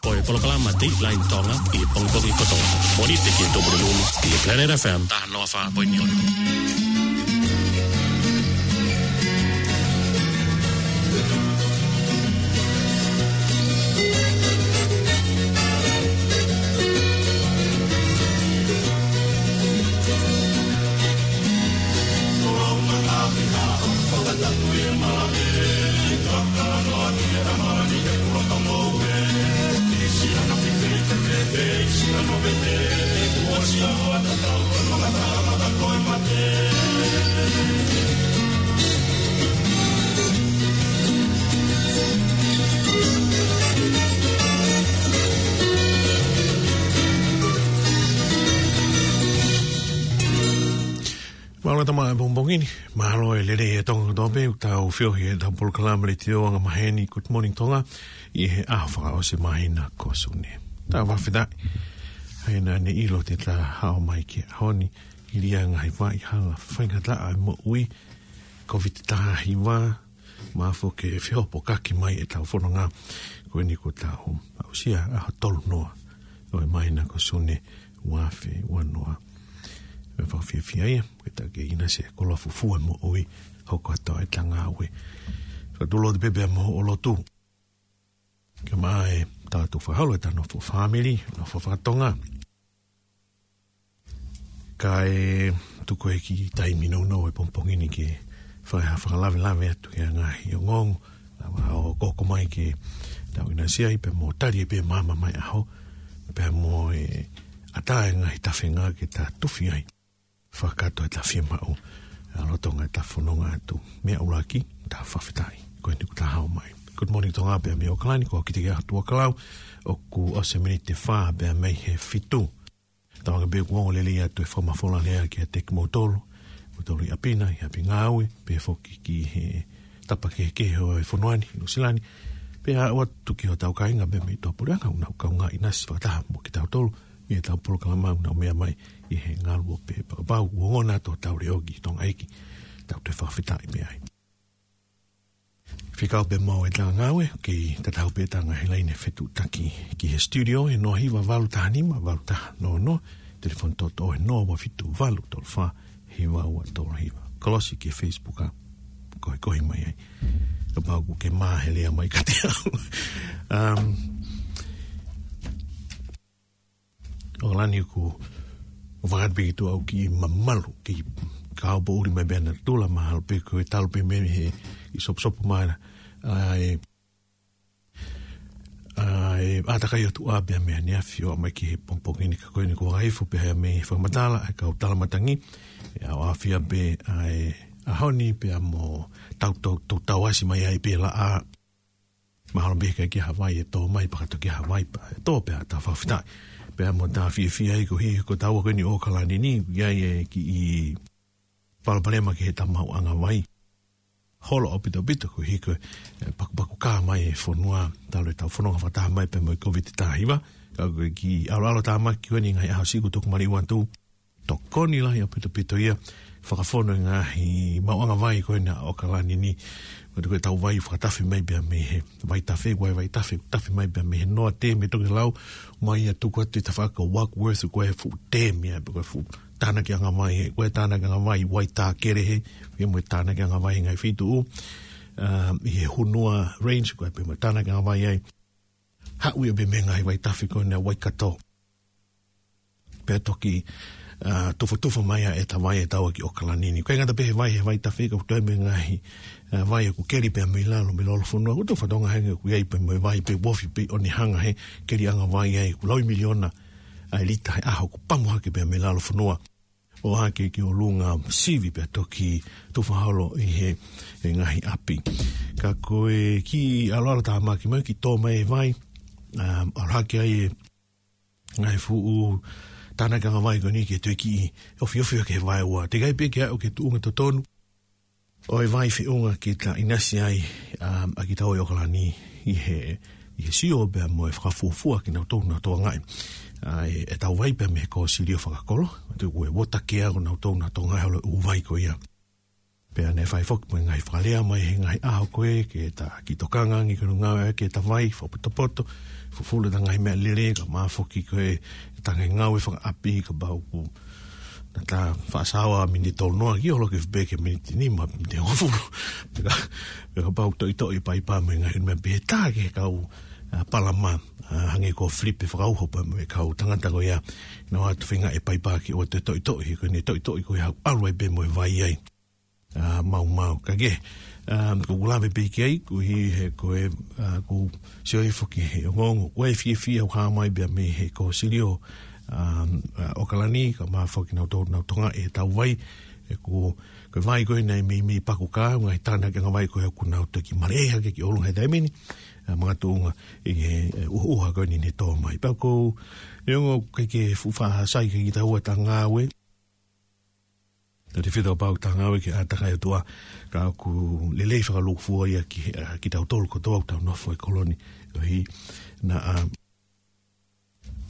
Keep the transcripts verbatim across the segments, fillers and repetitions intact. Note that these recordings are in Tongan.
Ko e polokalama Dateline Tonga ʻi he pongipongi kotoa. Mōnite ki he Tupulelulu ʻi he Planet F M taha noa fā poini ono. Mālō e tama e pongipongi ni, mālō e lelei e Tonga kotoa pē, ʻoku tau feohi he ʻetau polokalama letiō angamaheni Good Morning Tonga, ʻi he ʻaho fakaʻosi māhina ko Sune. Tau fakafetaʻi, he naʻa ne ʻilo te ta hao mai ki he ʻaho ni, hili ʻa e ngaahi vaʻa hala faingataʻa e moʻui, Covid taha hiva, mafoke e fehopokaki mai ʻetau fononga, ko eni kuo tau aʻusia ʻaho tolu noa ʻo e māhina ko Sune ua afe ua noa. ʻOku fakafiefia ia, ke ta kei ʻinasi he koloa fufū e moʻui, hoko atu ʻetau ngāue. Fakatulou atu pē pea mo hoʻo lotu. Kae ʻumaʻā ʻetau fakaholo ʻetau nofo fāmili, nofo fakatonga. Kae tuku e kiʻi taimi nounou e pongipongi ni ke fai ha fakalavelave atu ki he ngaahi ongoongo, lava ʻo hoko mai ke tau ʻinasi ai pea mo tali pē māmā mai ʻaho, pea mo e ʻatā e ngaahi tafenga ke ta tufi ai. Fakakātoa ʻetau fiemaʻu, ʻa lolotonga ʻetau fononga atu. Meʻa ʻuluaki, tau fakafetaʻi. Ko eni kuo ta hao mai. Good Morning Tonga pea mei ʻAokalani, ko au Kitike Atu Akalau, ʻoku ʻosi e miniti ʻe fā pea mei he fitu. Tau anga pē kuo ongo lelei atu e fakamafola lea kiate kimoutolu, kimoutolu ʻi ʻapi na, ʻi ʻapi ngāue, pea foki ki he tapa kehekehe ʻo e fonua ni, Nuʻusila ni, pea aʻu atu ki hotau kāinga pea mei tuʻapuleʻanga, ʻoku nau kaungā ʻinasi fakataha mo kitautolu, ʻi heʻetau polokalama ʻoku nau meʻa mai ʻi he ngaluope. Pea kapau ʻoku ongona atu hotau leʻo ki Tonga ʻEiki, tau toe fakafetaʻi mei ai. Fekau pē mo ʻetau ngāue, kei tatau pē ʻetau ngaahi laine fetuʻutaki ki he studio, he noa hiva valu taha nima, valu taha noa noa, telefoni toʻotoʻo he noa ua fitu valu tolu fā, hiva ua tolu hiva. Kolosi ki he Facebook ʻa, koekoe mai ai. Kapau ʻoku ke mā he lea mai kiate au. Um, ʻAokalani, ʻoku ou fakapiki atu au ki mamalu, ki kaopoʻuli mai pea na tula mahalo pē ko e talu pē mei he ʻi soposopo mai na. ʻA e, ʻa e ʻātakai ʻOtua pea mei he ʻaneafi ʻo aʻu mai ki he pongipongi ni, ka ko eni kuo vaivai pē mei he fakamatala ʻa e kau tala matangi, ʻe ʻaofia pē ʻa e ʻaho ni pea mo tau, tau, tau, tau ʻasi mai ai pē laʻā. Mahalo pē ʻikai ke ʻi ai ha vai ʻe tō mai, pea ka toki ʻi ai ha vai pea ʻe tō, pea tau fakafetaʻi. Pea mo tau fiefia ai koeʻuhi ko taua ko eni ʻAokalani ni, ʻi ai e kiʻi palopalema ki heʻetau maʻuʻanga vai. Holo ʻaupito ʻaupito koeʻuhi ko e, e, pakupaku kā mai e fonua, talu ʻetau fononga fakataha mai pea mo e Covid taha hiva, ka ko e kiʻi ʻaloʻalo tāmaki ko eni ngaahi ʻaho siʻi kuo tuku maliu atu. Tokoni lahi ʻaupito ʻaupito ia, fakafonu e ngaahi maʻuʻanga vai ko ena ʻo ʻAokalani ni. Ko e tau vai fakatafe mai pea mei he vaitafe, ko e vaitafe, tafe mai pea mei he noa temi, toki lau mai ia tuku atu ʻi he tafaʻaki ko Warkworth, ko e fuʻu temi ia, ko e fuʻu tānakiʻanga vai, ko e tānakiʻanga vai Waitākere, pea mo e tānakiʻanga vai ngaahi feituʻu, um, ʻi he Hunua Range, ko e pea mo e tānakiʻanga vai ai. Haʻu ia pē mei he ngaahi vaitafe ko ena Waikato. Pea toki, ʻa, tufotufa mai ʻa e tau vai ʻe taua ki ʻAokalani ni. ʻIkai ngata pē he vai, he vaitafe, ka ʻoku toe mo e ngaahi, ʻa, vai ʻoku keli pea mei lalo, mei lalo fonua. ʻOku tau fatongia hangē ʻoku ʻi ai pē mo e vai pē ʻoku ofi pē ʻo ne hanga he keliʻanga vai ai, ʻoku laui miliona ʻa e lita he ʻaho ʻoku pamu hake pea mei lalo fonua. ʻO hake ki ʻolunga sivi pea toki tufa holo ʻi he, he ngaahi ʻapi. Ka ko e kiʻi ʻaloʻalo tāmaki mai kiʻi tō mai e vai, um, ʻalu hake ai e ngaahi fuʻu tānakiʻanga vai ko eni ke toe kiʻi ofiofi hake he vaeua. Teʻeki ai pē ke aʻu ki he tuʻunga totonu ʻo e vai feʻunga ke ta ʻinasi ai, um, ʻa kitaua ʻi ʻAokalani ʻi he, ʻi he sio pea mo e fakafuofua kinautolu naʻa tau tokangaʻi. ʻA e, ʻetau vai pea mei he Kōsilio Fakakolo, te ue wota ke ako nautolu naʻa tau tokangaʻi holo ʻū vai ko ia. Pea ne fai foki mo e ngaahi fakalea mai he ngaahi ʻaho ko ē ke ta kiʻi tokanga ange ki hono ngāue ʻa e ke ta vai, fakapotopoto, fufulu ta ngaahi meʻalele, kae ʻumaʻā foki ko e ta ngaahi ngāue fakaʻapi kapau ʻoku na ta faʻa saoa miniti tolu noa ki olo ke fepeke miniti nima, miniti hongofulu. Pea ka, pea kapau toʻitoʻi paipa mo e ngaahi meʻa pehē ta ke kau, ʻa, palama, ʻa, hangē ko Filipe Fakauho pea mo e kau tangata ko ia. Naʻa nau ʻatu feinga e paipa ke ʻoua toe toʻitoʻi, ko ʻene toʻitoʻi ko ia ʻalu ai pē mo e vai ai. ʻA, maumau. Ka ke, ʻa, ko ʻeku lave pē ki ai, ko e hā he ko e, ʻa, ko e sio ai foki he ongoongo. Ko e fiefia ʻoku hā mai pea mei he ko Silio, ʻa, ʻa, ʻAokalani, kae ʻumaʻā foki nau tō, nau tonga e tau vai, ʻe ko, ko e vai ko ē naʻe meimei paku ka, ngaahi tana ke ngaahi vai ko ē ʻoku nau toki male hake ki ʻolunga he taimi ni, ʻa, makatuʻunga ʻi he, ʻe, ʻuha, ʻuha ko eni ne tō mai. Pea ko, neongo ʻikai ke fuʻu faʻa sai ke kita ua ta ngāue, tau te fita pau ta ngāue ke ʻātakai atu ā, ka ʻoku lelei fakalūkufua ia ki, ʻa, kitautolu kotoa ʻoku tau nofo ʻi he kolo ni, ʻo hangē naʻa, ʻa,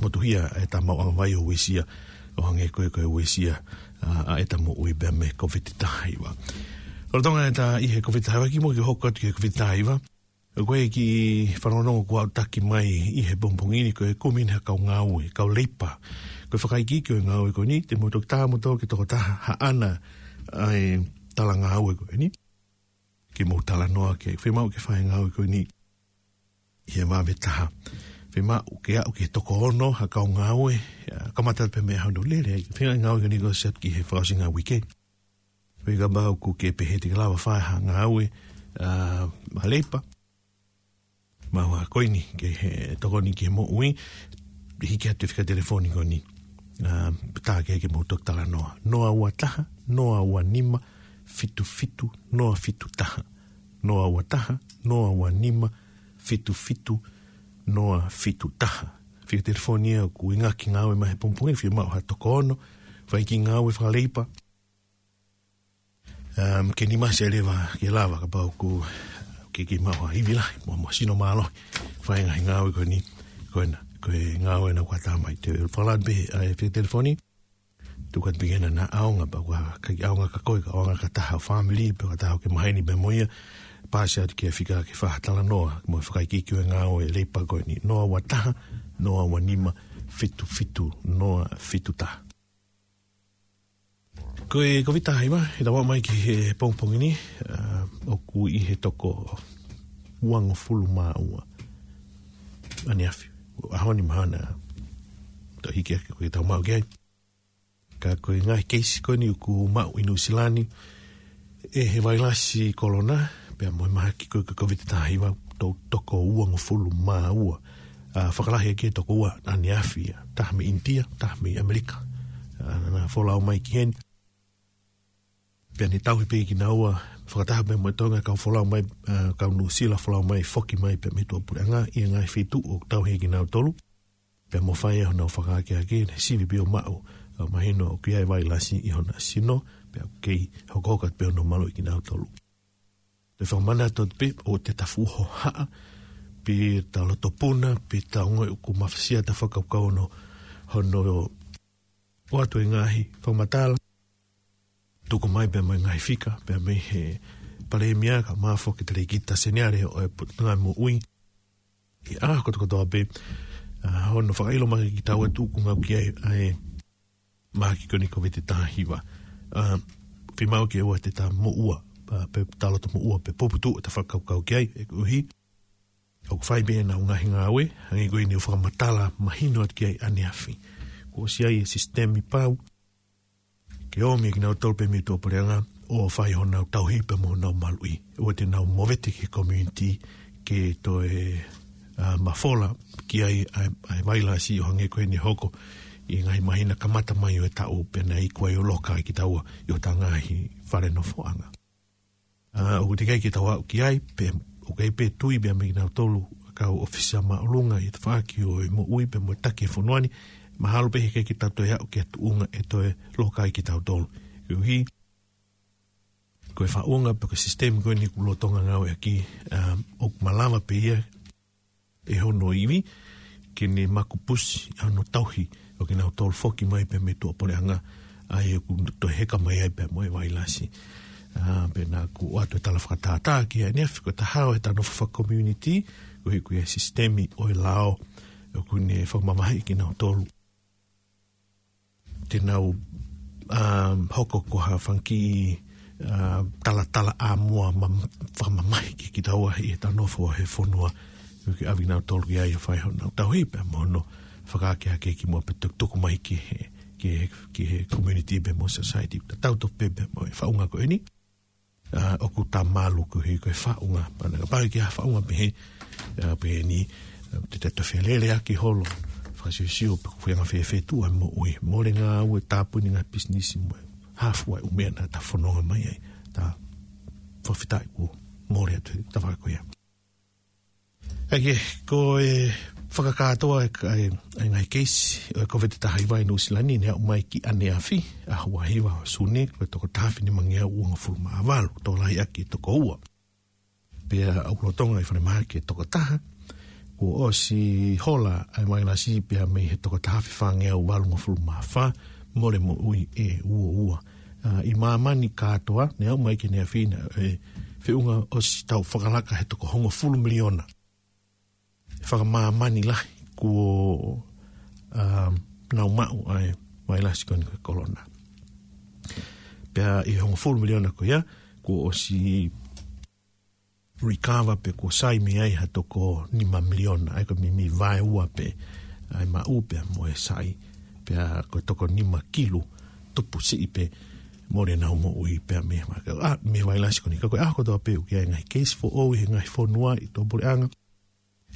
motuhia e ta mau ʻanga vai ʻo uesia, ʻo hangē ko e, ko e uesia, ʻa, ʻa e ta moʻui pea mei he Kōviti taha hiva. Lolotonga e ta ʻi he Kōviti taha hiva kimuʻa ke hoko atu ki he Kōviti taha hiva, ʻoku ʻi ai e kiʻi fanongonongo kuo aʻutaki mai ʻi he pongipongi ni ko e kumi ʻa e kau ngāue, kau leipa. Ko e fakaikiiki ʻo e ngāue ko eni, te mou toki tā moutolu ki he tokotaha haʻana ʻa e talangāue ko eni. Ke mou talanoa ki ai, fiemaʻu ke fai e ngāue ko eni ʻi he vave taha. Fiemaʻu ke aʻu ki he toko ono ha kau ngāue, ʻa, kamata pē mei he ʻaho naʻe lele ai. Feinga e ngāue ko eni ke ʻosi atu ki he fakaʻosinga ʻo e uike. Pea kapau ʻoku ke pehē te ke lava fai ha ngāue, ʻa, ʻa leipa. Mau ha ko eni ke he tokoni ki he moʻui, hiki atu e fika telefoni ko eni. ʻA, tā ke ke mou toki talanoa. Noa ua taha, noa ua nima, fitu fitu, noa fitu taha. Noa ua taha, noa ua nima, fitu fitu, noa fitu taha. Fika telefoni ia ʻoku ʻi he ngaahi ngāue mai he pongipongi, fiemaʻu ha toko ono, fai e kiʻi ngāue fakaleipa. Um, ke nima se leva ke lava kapau ʻoku ke kiʻi maʻu ha ivi lahi, mo, mo sino mālohi. Fai e ngaahi ngāue ko eni, ko ena, ko e ngāue naʻa ku ʻatā mai te u fakalata pē, ʻa e fika telefoni, tuku atu pē ke na ʻaonga pea ʻoku ʻikai ʻaonga kia koe, ka ʻaonga kia ha taha ʻo e fāmili, pe kia ha taha ʻoku ke maheni pē mo ia, pasi atu ki he fika ke fai ha talanoa, mo e fakaikiiki ʻo e ngāue leipa ko eni, noa ua taha, noa ua nima, fitu fitu, noa fitu taha. Ko e Kōviti taha hiva, ʻi he tau aʻu mai ki he pongipongi ni, ʻa, ʻoku ʻi he toko uangofulu mā ua ʻaneafi. ʻAho ni mahalo naʻa toe hiki hake ko e tau maʻu ki ai. Ka ko e ngaahi keisi ko eni ʻoku maʻu ʻi Nuʻusila ni, ʻe he vailasi kolona, pea mo e mahaki ko e Kōviti taha hiva, to-, toko uangofulu mā ua. ʻA, fakalahi ki he toko ua ʻaneafi, ʻa, taha mei ʻInitia, taha mei ʻAmelika. ʻA, naʻa na folau mai ki heni. Pea ne tauhi pē kinaua, fakataha pē mo Tonga, kau folau mai, ʻa, kau Nuʻusila folau mai, foki mai pē mei tuʻapuleʻanga, ʻi he ngaahi feituʻu ʻoku tauhi kinautolu. Pea mo fai honau fakaakeake, ne sivi pē ʻo maʻu, ʻa, mahino ʻoku ʻi ai e vailasi ʻi hona sino, pea ʻoku kei hokohoko atu pē hono maluʻi kinautolu. Te fakamanatu atu pē ʻoua te ta fuʻu hohaʻa, pe ta loto puna, pe ta ongoʻi ʻoku mafasia ʻeta fakakaukau hono, hono ʻoatu e ngaahi fakamatala, tuku mai pē mo e ngaahi fika, pea mei he Palēmia kae ʻumaʻā foki e Talēkita Seniale ʻo e Potungāue Moʻui, ʻi he ʻaho kotokotoa pē, ʻa, hono fakaʻilo mai kiate kitaua ʻoku ngāue ki ai ʻa e mahaki ko eni Kōviti taha hiva. ʻA, fiemaʻu ke ʻoua te ta moʻua, ʻa, pe ta loto moʻua, pe puputuʻu ʻeta fakakaukau ki ai, ʻe koeʻuhi ʻoku fai pē ʻenau ngaahi ngāue, hangē ko eni ʻoku fakamatala mahino atu ki ai ʻaneafi. Kuo ʻosi ʻi ai e sisitemi pau, ke ʻomi kinautolu pē mei tuʻapuleʻanga, ʻo fai honau tauhi pea mo honau maluʻi. ʻOua te nau movete ki he community, ke toe, ʻa, mafola ki ai ʻa e, ʻa e vailasi ʻo hangē ko eni hoko ʻi he ngaahi māhina kamata mai ʻo e taʻu pea naʻe iku ai ʻo loka ai kitaua ʻi hota ngaahi fale nofoʻanga. ʻA, ʻoku teʻeki ke tau aʻu ki ai, pe, ʻoku ʻi ai pē tui pē mei kinautolu, kau ʻōfisa māʻolunga ʻi he tafaʻaki ʻo e moʻui pea mo e taki e fonua ni, mahalo pē heʻikai ke tau toe aʻu ki he tuʻunga ʻe toe loka ai kitautolu. Koeʻuhi, ko e faʻunga pe ko e sisitemi ko eni ʻoku lolotonga ngāueʻaki, ʻa, ʻoku malava pē ia, ʻe hono ivi, ke ne makupusi ʻa hono tauhi ʻo kinautolu foki mai pē mei tuʻapuleʻanga, ʻa ia ʻoku toe heka mai ai pē mo e vailasi. ʻA, pea naʻa ku ʻoatu e tala fakatātā ki ai ʻaneafi, ko e taha ʻo e tau nofo faka-community, ko e ʻuhi ko e sisitemi ʻo e lao, ʻoku ne fakamamahiʻi kinautolu te nau, ʻa, hoko ko ha fanga kiʻi, ʻa, talatala ʻa mua ma-, fakamamahi ki kitaua ʻi he tau nofo he fonua, ʻoku ke ʻave kinautolu ki ai ʻo fai honau tauhi pea mo hono fakaakeake ki muʻa pea tukutuku mai ki he, ki he, ki he community pea mo society. Tatau tofu pē pea mo e faʻunga ko eni. ʻA, ʻoku ta malu ko e ʻuhi ko e faʻunga. Pea naʻa kapau ʻe ʻi ai ha faʻunga pehē, ʻa, pehē ni, ʻa, te ta toe feleleʻaki holo, fakasiosio pe ko e feinga fēfē tuʻa e moʻui. Mole ngāue, tāpuni ngaahi pisinisi mo e hā fua e ʻū meʻa naʻa ta fononga mai ai. Ta fakafetaʻi kuo mole atu he tafaʻaki ko ia. ʻA ia, ko e fakakātoa e ka-, e, e ngaahi keisi ʻo e Kōviti taha hiva ʻi Nuʻu Sila ni, ne aʻu mai ki ʻaneafi, ʻaho ua hiva ʻo Sune, ko e toko taha afe nima ngeau uangofulu mā valu, tokolahi ʻaki e toko ua. Pea ʻoku lolotonga e falemahaki e toko taha, kuo ʻosi hola ʻa e vailasi pea mei he toko taha afe fā ngeau valungofulu mā fā, mole moʻui ʻe ua ua. ʻA, ʻi māmani kātoa, ne aʻu mai ki ʻaneafi naʻe feʻunga ʻosi tau fakalaka he toko hongofulu miliona fakamāmani lahi kuo, ʻa, nau maʻu ʻa e vailasi ko eni ko e kolona. Pea ʻi he hongofulu miliona ko ia, kuo ʻosi recover pe kuo sai mei ai ha toko nima miliona, ʻa ia ko e meimei vaeua pē ʻa e maʻu pea mo e sai, pea ko e toko nima kilu tupu siʻi pē mole ʻenau moʻui pea mei he ma-, ʻa, mei he vailasi ko eni. Ka ko e ʻaho kotoa pē ʻoku ʻi ai e ngaahi keisi foʻou ʻi he ngaahi fonua ʻi tuʻapuleʻanga.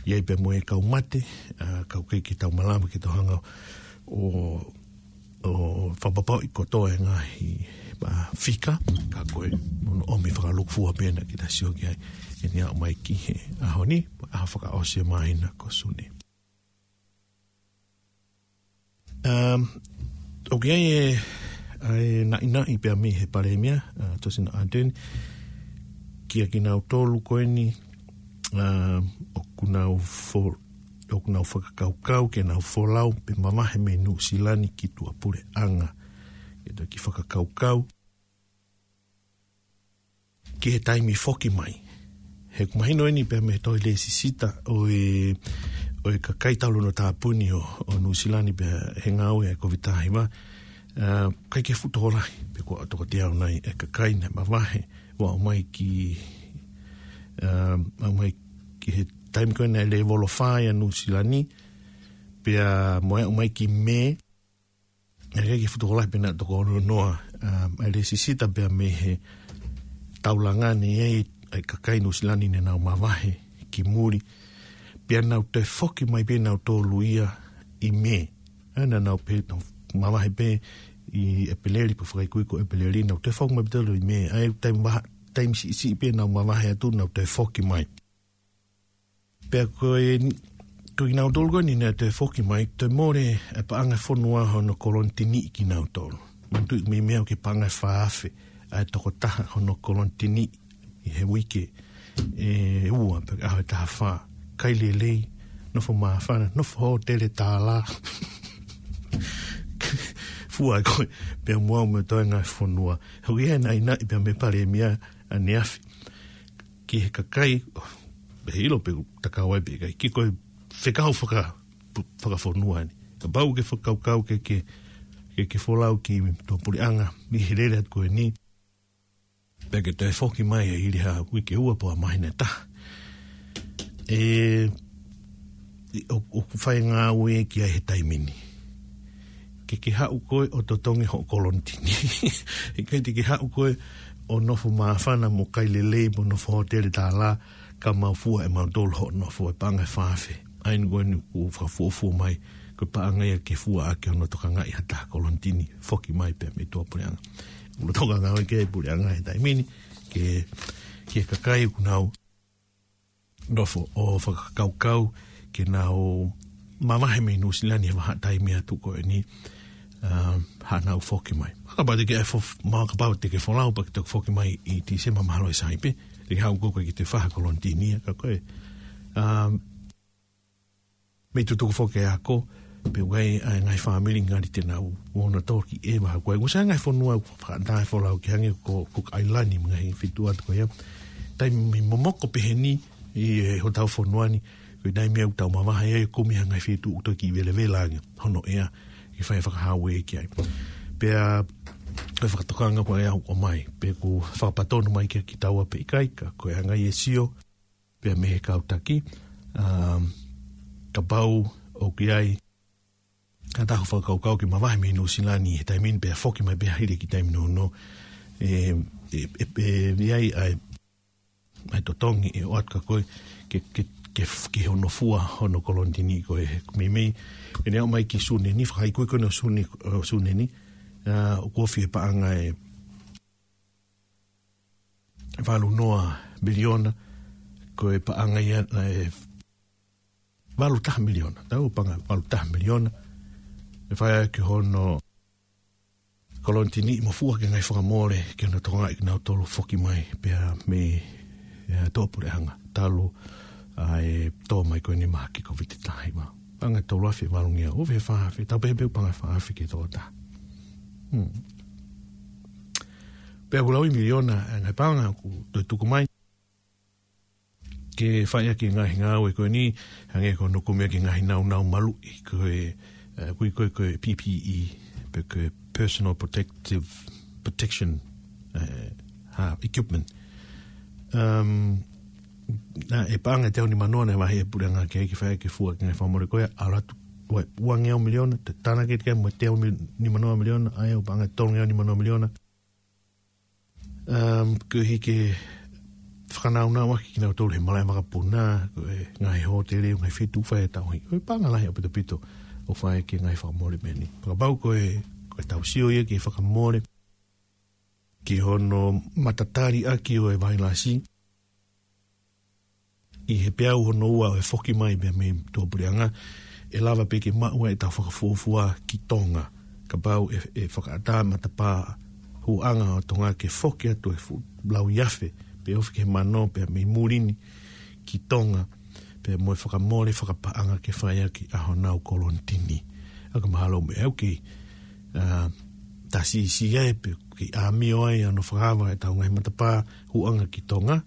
ʻI ai pea mo e kau mate, ʻa, ka ʻoku ʻikai ke tau malava ke tau hanga ʻo, ʻo fakapapauʻi kotoa e ngaahi, ʻa, fika, ka ko e, ʻoku ʻomi fakalūkufua pē naʻa ke ta sio ki ai, ʻi he aʻu mai ki he ʻaho ni, ʻaho fakaʻosi e māhina ko Sune. Um, ʻoku ʻi ai e, ʻa e naʻinaʻi pea mei he Palēmia, ʻa, Jacinda Ardern, kia kinautolu ko eni, um, ʻoku nau fo-, ʻoku nau fakakaukau ke nau folau pe mavahe mei Nuʻu Sila ni ki tuʻapuleʻanga. Ke toki fakakaukau ki he taimi foki mai. He ʻoku mahino eni pea mei he tohi lēsisita ʻo e, ʻo e kakai talu hono tāpuni ʻo, ʻo Nuʻu Sila ni pea he ngāue ʻa e Kōviti taha hiva, ʻa, ʻikai ke fuʻu tokolahi, pe ko e toko teau nai e kakai naʻe mavahe, ʻo aʻu mai ki, ʻa, aʻu mai ki he taimi ko ē naʻe lēvolo fā ai ʻa Nuʻu Sila ni, pea mo e aʻu mai ki Mē, ʻikai ke fuʻu tokolahi pea naʻe toko ono noa, ʻa, ʻa e lēsisita pea mei he taulanga ni ʻa e, ʻa e kakai Nuʻu Sila ni ne nau mavahe ki muli. Pea nau toe foki mai pē nautolu ia ʻi Mē. ʻA, naʻa nau pē, nau mavahe pē ʻi ʻEpeleli, pe fakaikuiku ʻEpeleli, nau toe foki mai pē nautolu ʻi Mē. ʻA e taimi vaha, taimi siʻisiʻi pē nau mavahe atu, nau toe foki mai. Pea ko e, ko kinautolu ko eni naʻe toe foki mai, toe mole e paʻanga fonua hono kolonitini kinautolu. Manatuʻi meimei ʻoku paʻanga ʻe fā afe ʻa e tokotaha hono kolonitini ʻi he uike ʻe ua pe ʻaho ʻe taha fā. Kai lelei, nofo māfana, nofo hōtele tālā. Fua ko ē, pea mo au mo e toenga e fonua. He ʻoku ʻi ai e naʻinaʻi pea mei he Palēmia ʻaneafi ki he kakai, ʻo, ʻe ʻilo pe ʻoku ta kau ai pe ʻikai, ki ko e fekau faka-, fakafonua ni. Kapau ʻoku ke fakakaukau ke, ke, ke, ke folau ki tuʻapuleʻanga, mei he lele atu ko eni. Pea ke toe foki mai ʻe hili ha uike ʻe ua pe ʻa māhina ʻe taha. ʻE, ʻi, ʻo, ʻoku fai e ngāue ki ai he taimi ni. Ke ke haʻu koe ʻo totongi hoʻo kolonitini. ʻIkai te ke haʻu koe ʻo nofo māfana mo kai lelei mo nofo hōtele tālā, ka mau fua ʻe mautolu hoʻo nofo e paʻanga ʻe fā afe. ʻA eni ko eni ʻoku fakafuofua mai, ko e paʻanga ia ke fua ʻaki hono tokangaʻi ha taha kolonitini, foki mai pea mei tuʻapuleʻanga. ʻOku lolotonga ngāue ki ai e puleʻanga he taimi ni, ke, ki he kakai ʻoku nau nofo ʻo fakakaukau ke nau mavahe mei Nuʻu Sila ni he vahaʻa taimi atu ko eni, um, haʻanau foki mai. Kapau te ke ʻai fo-, ma-, kapau te ke folau pea ke toki foki mai ʻi Tīsema mahalo ʻe sai pē, te ke haʻu koe ke te fai ha kolonitini ia, ka ko e, um, mei tutuku foki e ako, Pea ʻoku ʻi ai ʻa e ngaahi fāmili ngali te nau ō ʻo toki ʻeva hake ai. ʻOku sai ngaahi fonua ʻoku faʻa tae folau ki hangē ko, ko ʻAilani mo e ngaahi feituʻu atu ko ia. Taimi momoko pehē ni ʻi he hotau fonua ni, ko e taimi ʻoku tau mavahe ai ʻo kumi ha ngaahi feituʻu ʻoku toki velavela ange hono ʻea, ke fai fakahauē ki ai. Pea ko e fakatokanga ko ia ʻoku ʻomai, pe ʻoku fakapatonu mai kia kitaua pe ʻikai, ka ko e anga ia e sio pea mei he kau taki, um, kapau ʻoku ʻi ai ha taha ʻoku fakakaukau ke mavahe mei Nuʻusila ni he taimi ni pea foki mai pea hili ki taimi nounou. ʻE, ʻe, ʻe, ʻe, ʻi ai ʻa e, ʻa e totongi ʻe ʻoatu kia koe ke, ke, ke, ke hono fua hono kolonitini ko ē he meimei. ʻE ne aʻu mai ki Sune ni, fakaikuiku ʻo Sune, ʻo Sune ni, ʻa, ʻoku ofi e paʻanga ʻe valu noa miliona, ko e paʻanga ia, ʻe valu taha miliona, tau paʻanga valu taha miliona, ʻe fai ʻaki hono kolonitini mo fua ki he ngaahi fakamole, ke nau tokangaʻi kinautolu foki mai, pea mei, ʻe, tuʻapuleʻanga, talu ʻa e tō mai ko eni mahaki Kōviti taha hiva. Paʻanga ʻe tolu afe valungeau, ʻoku fē fā afe, tau pehē pē paʻanga fā afe ki he toko taha. Hmm. Pea ʻoku lauʻi miliona, ʻa e ngaahi paʻanga ʻoku toe tuku mai ke fai ʻaki e ngaahi ngāue ko eni, hangē ko hono kumi ʻaki e ngaahi naunau maluʻi, ko e, ʻe, ʻoku ui ko e, ko e P P E, pe ko e personal protective, protection, ʻe, ha, equipment. Um, naʻe paʻanga ʻe teau nima noa naʻe vahe ʻe he puleʻanga ke, ke fai ke fua ki he ngaahi fakamole ko ia, ʻalu atu, ua, uangeau miliona, te tānaki atu ki ai mo e teau mil-, nima noa miliona, ʻa ia ʻoku paʻanga ʻe tolungeau nima noa miliona. Um, koeʻuhi ke fakanaunau ʻaki kinautolu he malaʻe vakapuna, ko e ngaahi hōtele, ngaahi feituʻu fai e tauhi. Ko e paʻanga lahi ʻaupito ʻaupito ʻoku fai ki he ngaahi fakamole pehē ni. Fakapapau ko e, ko e tau sio ia ki he fakamole, ki hono matatali ʻaki ʻo e vailasi, ʻi he peau hono ua ʻo e foki mai pea mei tuʻapuleʻanga, ʻe lava pē ke maʻu ai ʻetau fakafuofua ki Tonga. Kapau ʻe, ʻe fakaʻatā matapā hūʻanga ʻo Tonga ke foki atu e fuʻu lauiafe, pe ofi ki he mano pea mei muli ni ki Tonga, pea mo e fakamole fakapaʻanga ke fai ʻaki ʻa honau kolonitini. ʻA ka mahalo mei au kei, ʻa, tasi isi ai pe kei ʻāmio ai ʻa hono fakaava ʻetau ngaahi matapā hūʻanga ki Tonga.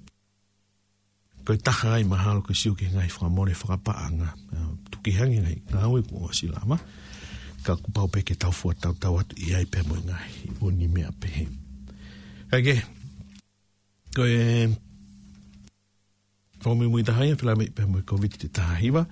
Ko e taha ai mahalo ke sio ki he ngaahi fakamole fakapaʻanga. ʻA, tuku hangē ngaahi ngāue kuo ʻosi lava. Ka kuo pau pē ke tau fua tautau atu ʻi ai pea mo e ngaahi ʻū meʻa pehē. Kae kehe, ko e fakamuimui taha ia, fila mai pea mo e Kōviti taha hiva,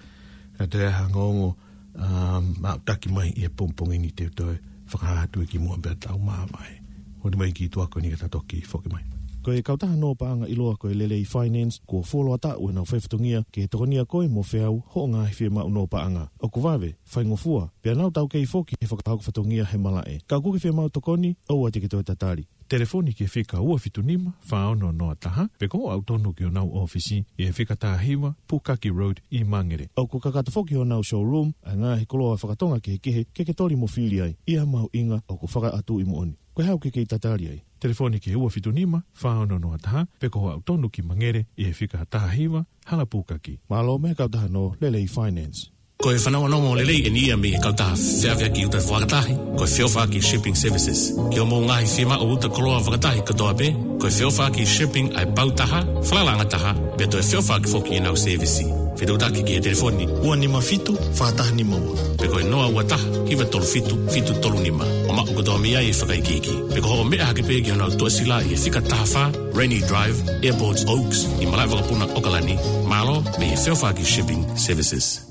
ka toe hanga ongo, um, maʻutaki mai ʻi he pongipongi ni te u toe fakahā atu ki muʻa pea tau māvae. Honi mai ki tuʻa ko eni ka ta toki foki mai. Ko e kautaha nō paʻanga ʻiloa ko e Lelei Finance, kuo fuoloa taʻu ʻenau faifatongia ke tokonia koe mo feau hoʻo ngaahi fiemaʻu nō paʻanga. ʻOku vave, faingofua, pea nau taukei foki he fakahoko fatongia he malaʻe. Ka ʻoku ke fiemaʻu tokoni, ʻoua te ke toe tatali. Telefoni ki he fika ua fitu nima, fā ono noa taha, pe ko hoʻo aʻu tonu ki honau ʻōfisi ʻi he fika taha hiva, Pukaki Road ʻi Mangere. ʻOku kakato foki honau showroom ʻa e ngaahi koloa fakatonga kehekehe ke ke toli mo fili ai, ʻi ha mahuʻinga ʻoku fakaʻatu ʻi moʻoni. Ko e hā ʻoku ke kei tatali ai? Telefoni ki he ua fitu nima, fā ono noa taha, pe ko hoʻo aʻu tonu ki Mangere ʻi he fika taha hiva, Hala Pukaki. Mālō mei he kautaha nō Lelei Finance. Ko e fanongonongo lelei eni ia mei he kautaha feʻaveʻaki uta fakatahi, ko e Feʻofaʻaki Shipping Services. Ki hoʻomou ngaahi fiemaʻu uta koloa fakatahi kotoa pē, ko e Feʻofaʻaki Shipping ʻa e pau taha, falalaʻanga taha, pea toe feʻofaʻaki foki ʻenau sēvisi. Fetuʻutaki ki he telefoni ua nima fitu, fā taha nima ua, pe ko e noa ua taha, hiva tolu fitu, fitu tolu nima. ʻO maʻu kotoa mei ai e fakaikiiki. Pe ko hoʻo meʻa hake pē ki honau tuʻasila ʻi he fika taha fā, Rainy Drive, Airport Oaks, ʻi malaʻe vakapuna ʻAokalani. Mālō mei he Feʻofaʻaki Shipping Services.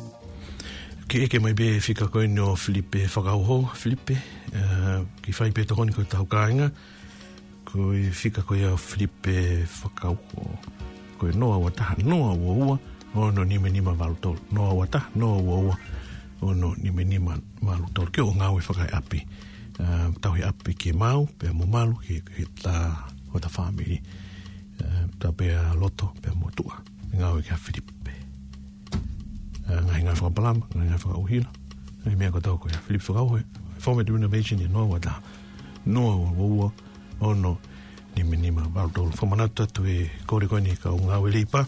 Ke ʻeke mai pē fika ko eni ʻo Filipe Fakauho, Filipe, ʻa, ke fai pē tokoni ko e tau kāinga, ko e fika ko ia ʻo Filipe Fakauho, ko e noa ua taha, noa ua ua, ono nima nima valu tolu, noa ua taha, noa ua ua, ono nima nima valu tolu, ke ʻo ngāue fakaeʻapi, ʻa, tauhi ʻapi ke mau, pea mo malu, ke, ke ta, hota fāmili, ʻa, ta pea loto, pea mo tuʻa, ngāue kia Filipe. ʻA, ngaahi ngāue fakapalama, ngaahi ngāue fakaʻuhila, ngaahi meʻa kotoa ko ia, Filipe Fakauho, Format Renovation ʻi he noa ua taha, noa ua ua, ono nima nima valu tolu. Fakamanatu atu e kole ko eni kau ngāue leipa,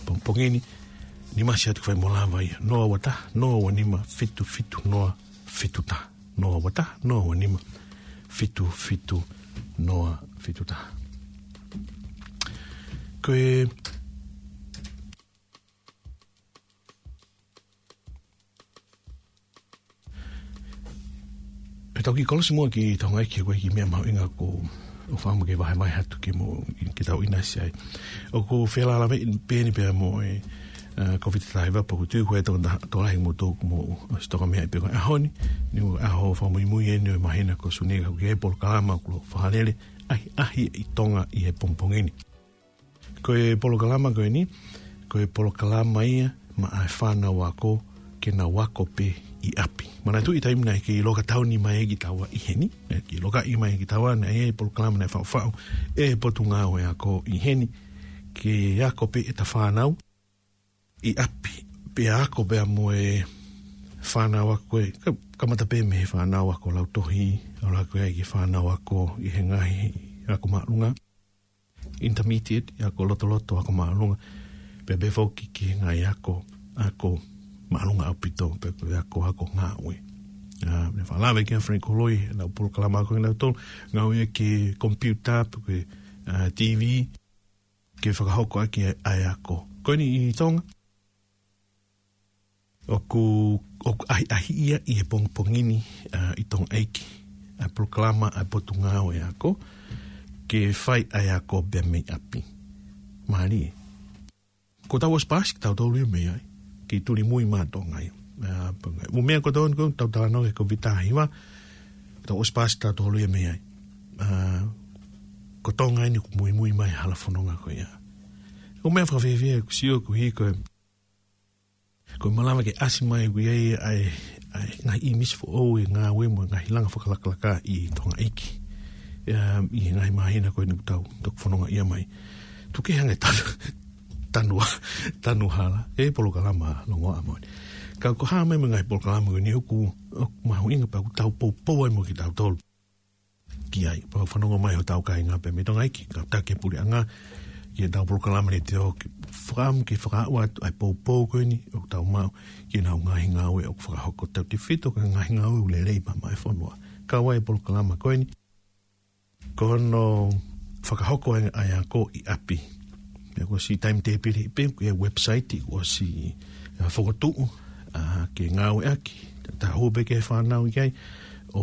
pongipongi ni, Ni masi atu fai mo lava ia. Noa ua taha, noa ua nima, fitu fitu noa, fitu taha. Noa ua taha, noa ua nima, fitu fitu noa, fitu taha. Ko e E tau kiʻi kolosi muʻa ki Tonga ʻEiki, ko e kiʻi meʻa mahuʻinga ko ʻeku fakaʻamu ke vahevahe atu ki mo, ke tau ʻinasi ai. ʻOku felālāveʻi pē eni pea mo e, ā, Kōviti taha hiva, pea ʻoku ou tui ko e tokolahi mo tō mo ʻosi toka meʻa pē ko e ʻaho ni, ni ʻaho fakamuimui eni ʻo e māhina ko Sune, ka ʻoku ʻi ai e polokalama ʻoku fakalele, ʻAhiʻahi ʻi Tonga ʻi he pongipongi ni. Ko e polokalama ko eni, ko e polokalama ia maʻa e fānau ako ke nau ako pē ʻi ʻapi. Manatuʻi taimi naʻe kei loka tauni mai kitaua ʻi heni, naʻe kei lokaʻi mai kitaua, naʻe ʻi ai e polokalama naʻe faʻufaʻu ʻe he Potungāue Ako ʻi heni, ke ako pē ʻeta fānau ʻi ʻapi, pea ako pea mo e fānau ako ē, ka-, kamata pē mei he fānau ako lautohi, ʻalu hake ai ki he fānau ako ʻi he ngaahi ako māʻolunga, intermediate, ako lotoloto, ako māʻolunga, pea pehē foki ki he ngaahi ako, ako māʻolunga ʻaupito, pea ko e ako, ako ngāue. Ā, meʻa fakalave ki ai Frank Holoi, ʻenau polokalama ako ʻenau tolu, ngāue ki he computer, pe ko e, ā, T V, ke fakahoko ʻaki ʻa e ako. Ko eni ʻi Tonga, ʻoku, ʻoku ʻahiʻahiʻi ia ʻi he pongipongi ni, ā, ʻi Tonga ʻEiki, ʻa e polokalama ʻa e Potungāue Ako, ke fai ʻa e ako pē mei ʻapi. Mālie. Kuo tau ʻosi paasi kitautolu ia mei ai. Kei tuli mui maʻa Tonga ia. Ā, pea ngaahi. Mo e meʻa ko ē ʻoku tau talanoa ki ai, Kōviti taha hiva, tau ʻosi paasi kitautolu ia mei ai. Ā, ko Tonga eni ʻoku muimui mai hala fononga ko ia. Ko e meʻa fakafiefia ʻeku sio ko ē ko e Ko e malava ke ʻasi mai ʻoku ʻi ai ʻa e, ʻa e ngaahi ʻīmisi foʻou ʻo e ngāue mo e ngaahi langa fakalakalaka ʻi Tonga ʻEiki. ʻIa, ʻi he ngaahi māhina ko eni ʻoku tau toki fononga ia mai. Tuku ke hanga ʻe tanu, tanu, tanu hala. ʻE polokalama longoaʻa mo eni. Ka ko e hā mai mo e ngaahi polokalama ko eni ʻoku, ʻoku mahuʻinga pea ʻoku tau poupou ai mo kitautolu ki ai. Pea fanongo mai hotau kāinga pē mei Tonga ʻEiki, kātaki e puleʻanga, ki heʻetau polokalama ni te o ke fakaʻamu ke fakaaʻu atu ʻa e poupou ko eni ʻoku tau maʻu ki heʻenau ngaahi ngāue ʻoku fakahoko, tautefito ki he ngaahi ngāue ʻoku lelei pē maʻa e fonua. Kau ai e polokalama ko eni, ko hono fakahoko ʻa e, ʻa e ako ʻi ʻapi. Pea kuo ʻosi timetable pē, ko e website kuo ʻosi, ā, fokotuʻu, ā, ke ngāueʻaki, tā hū pē ki he fānau ki ai, ʻo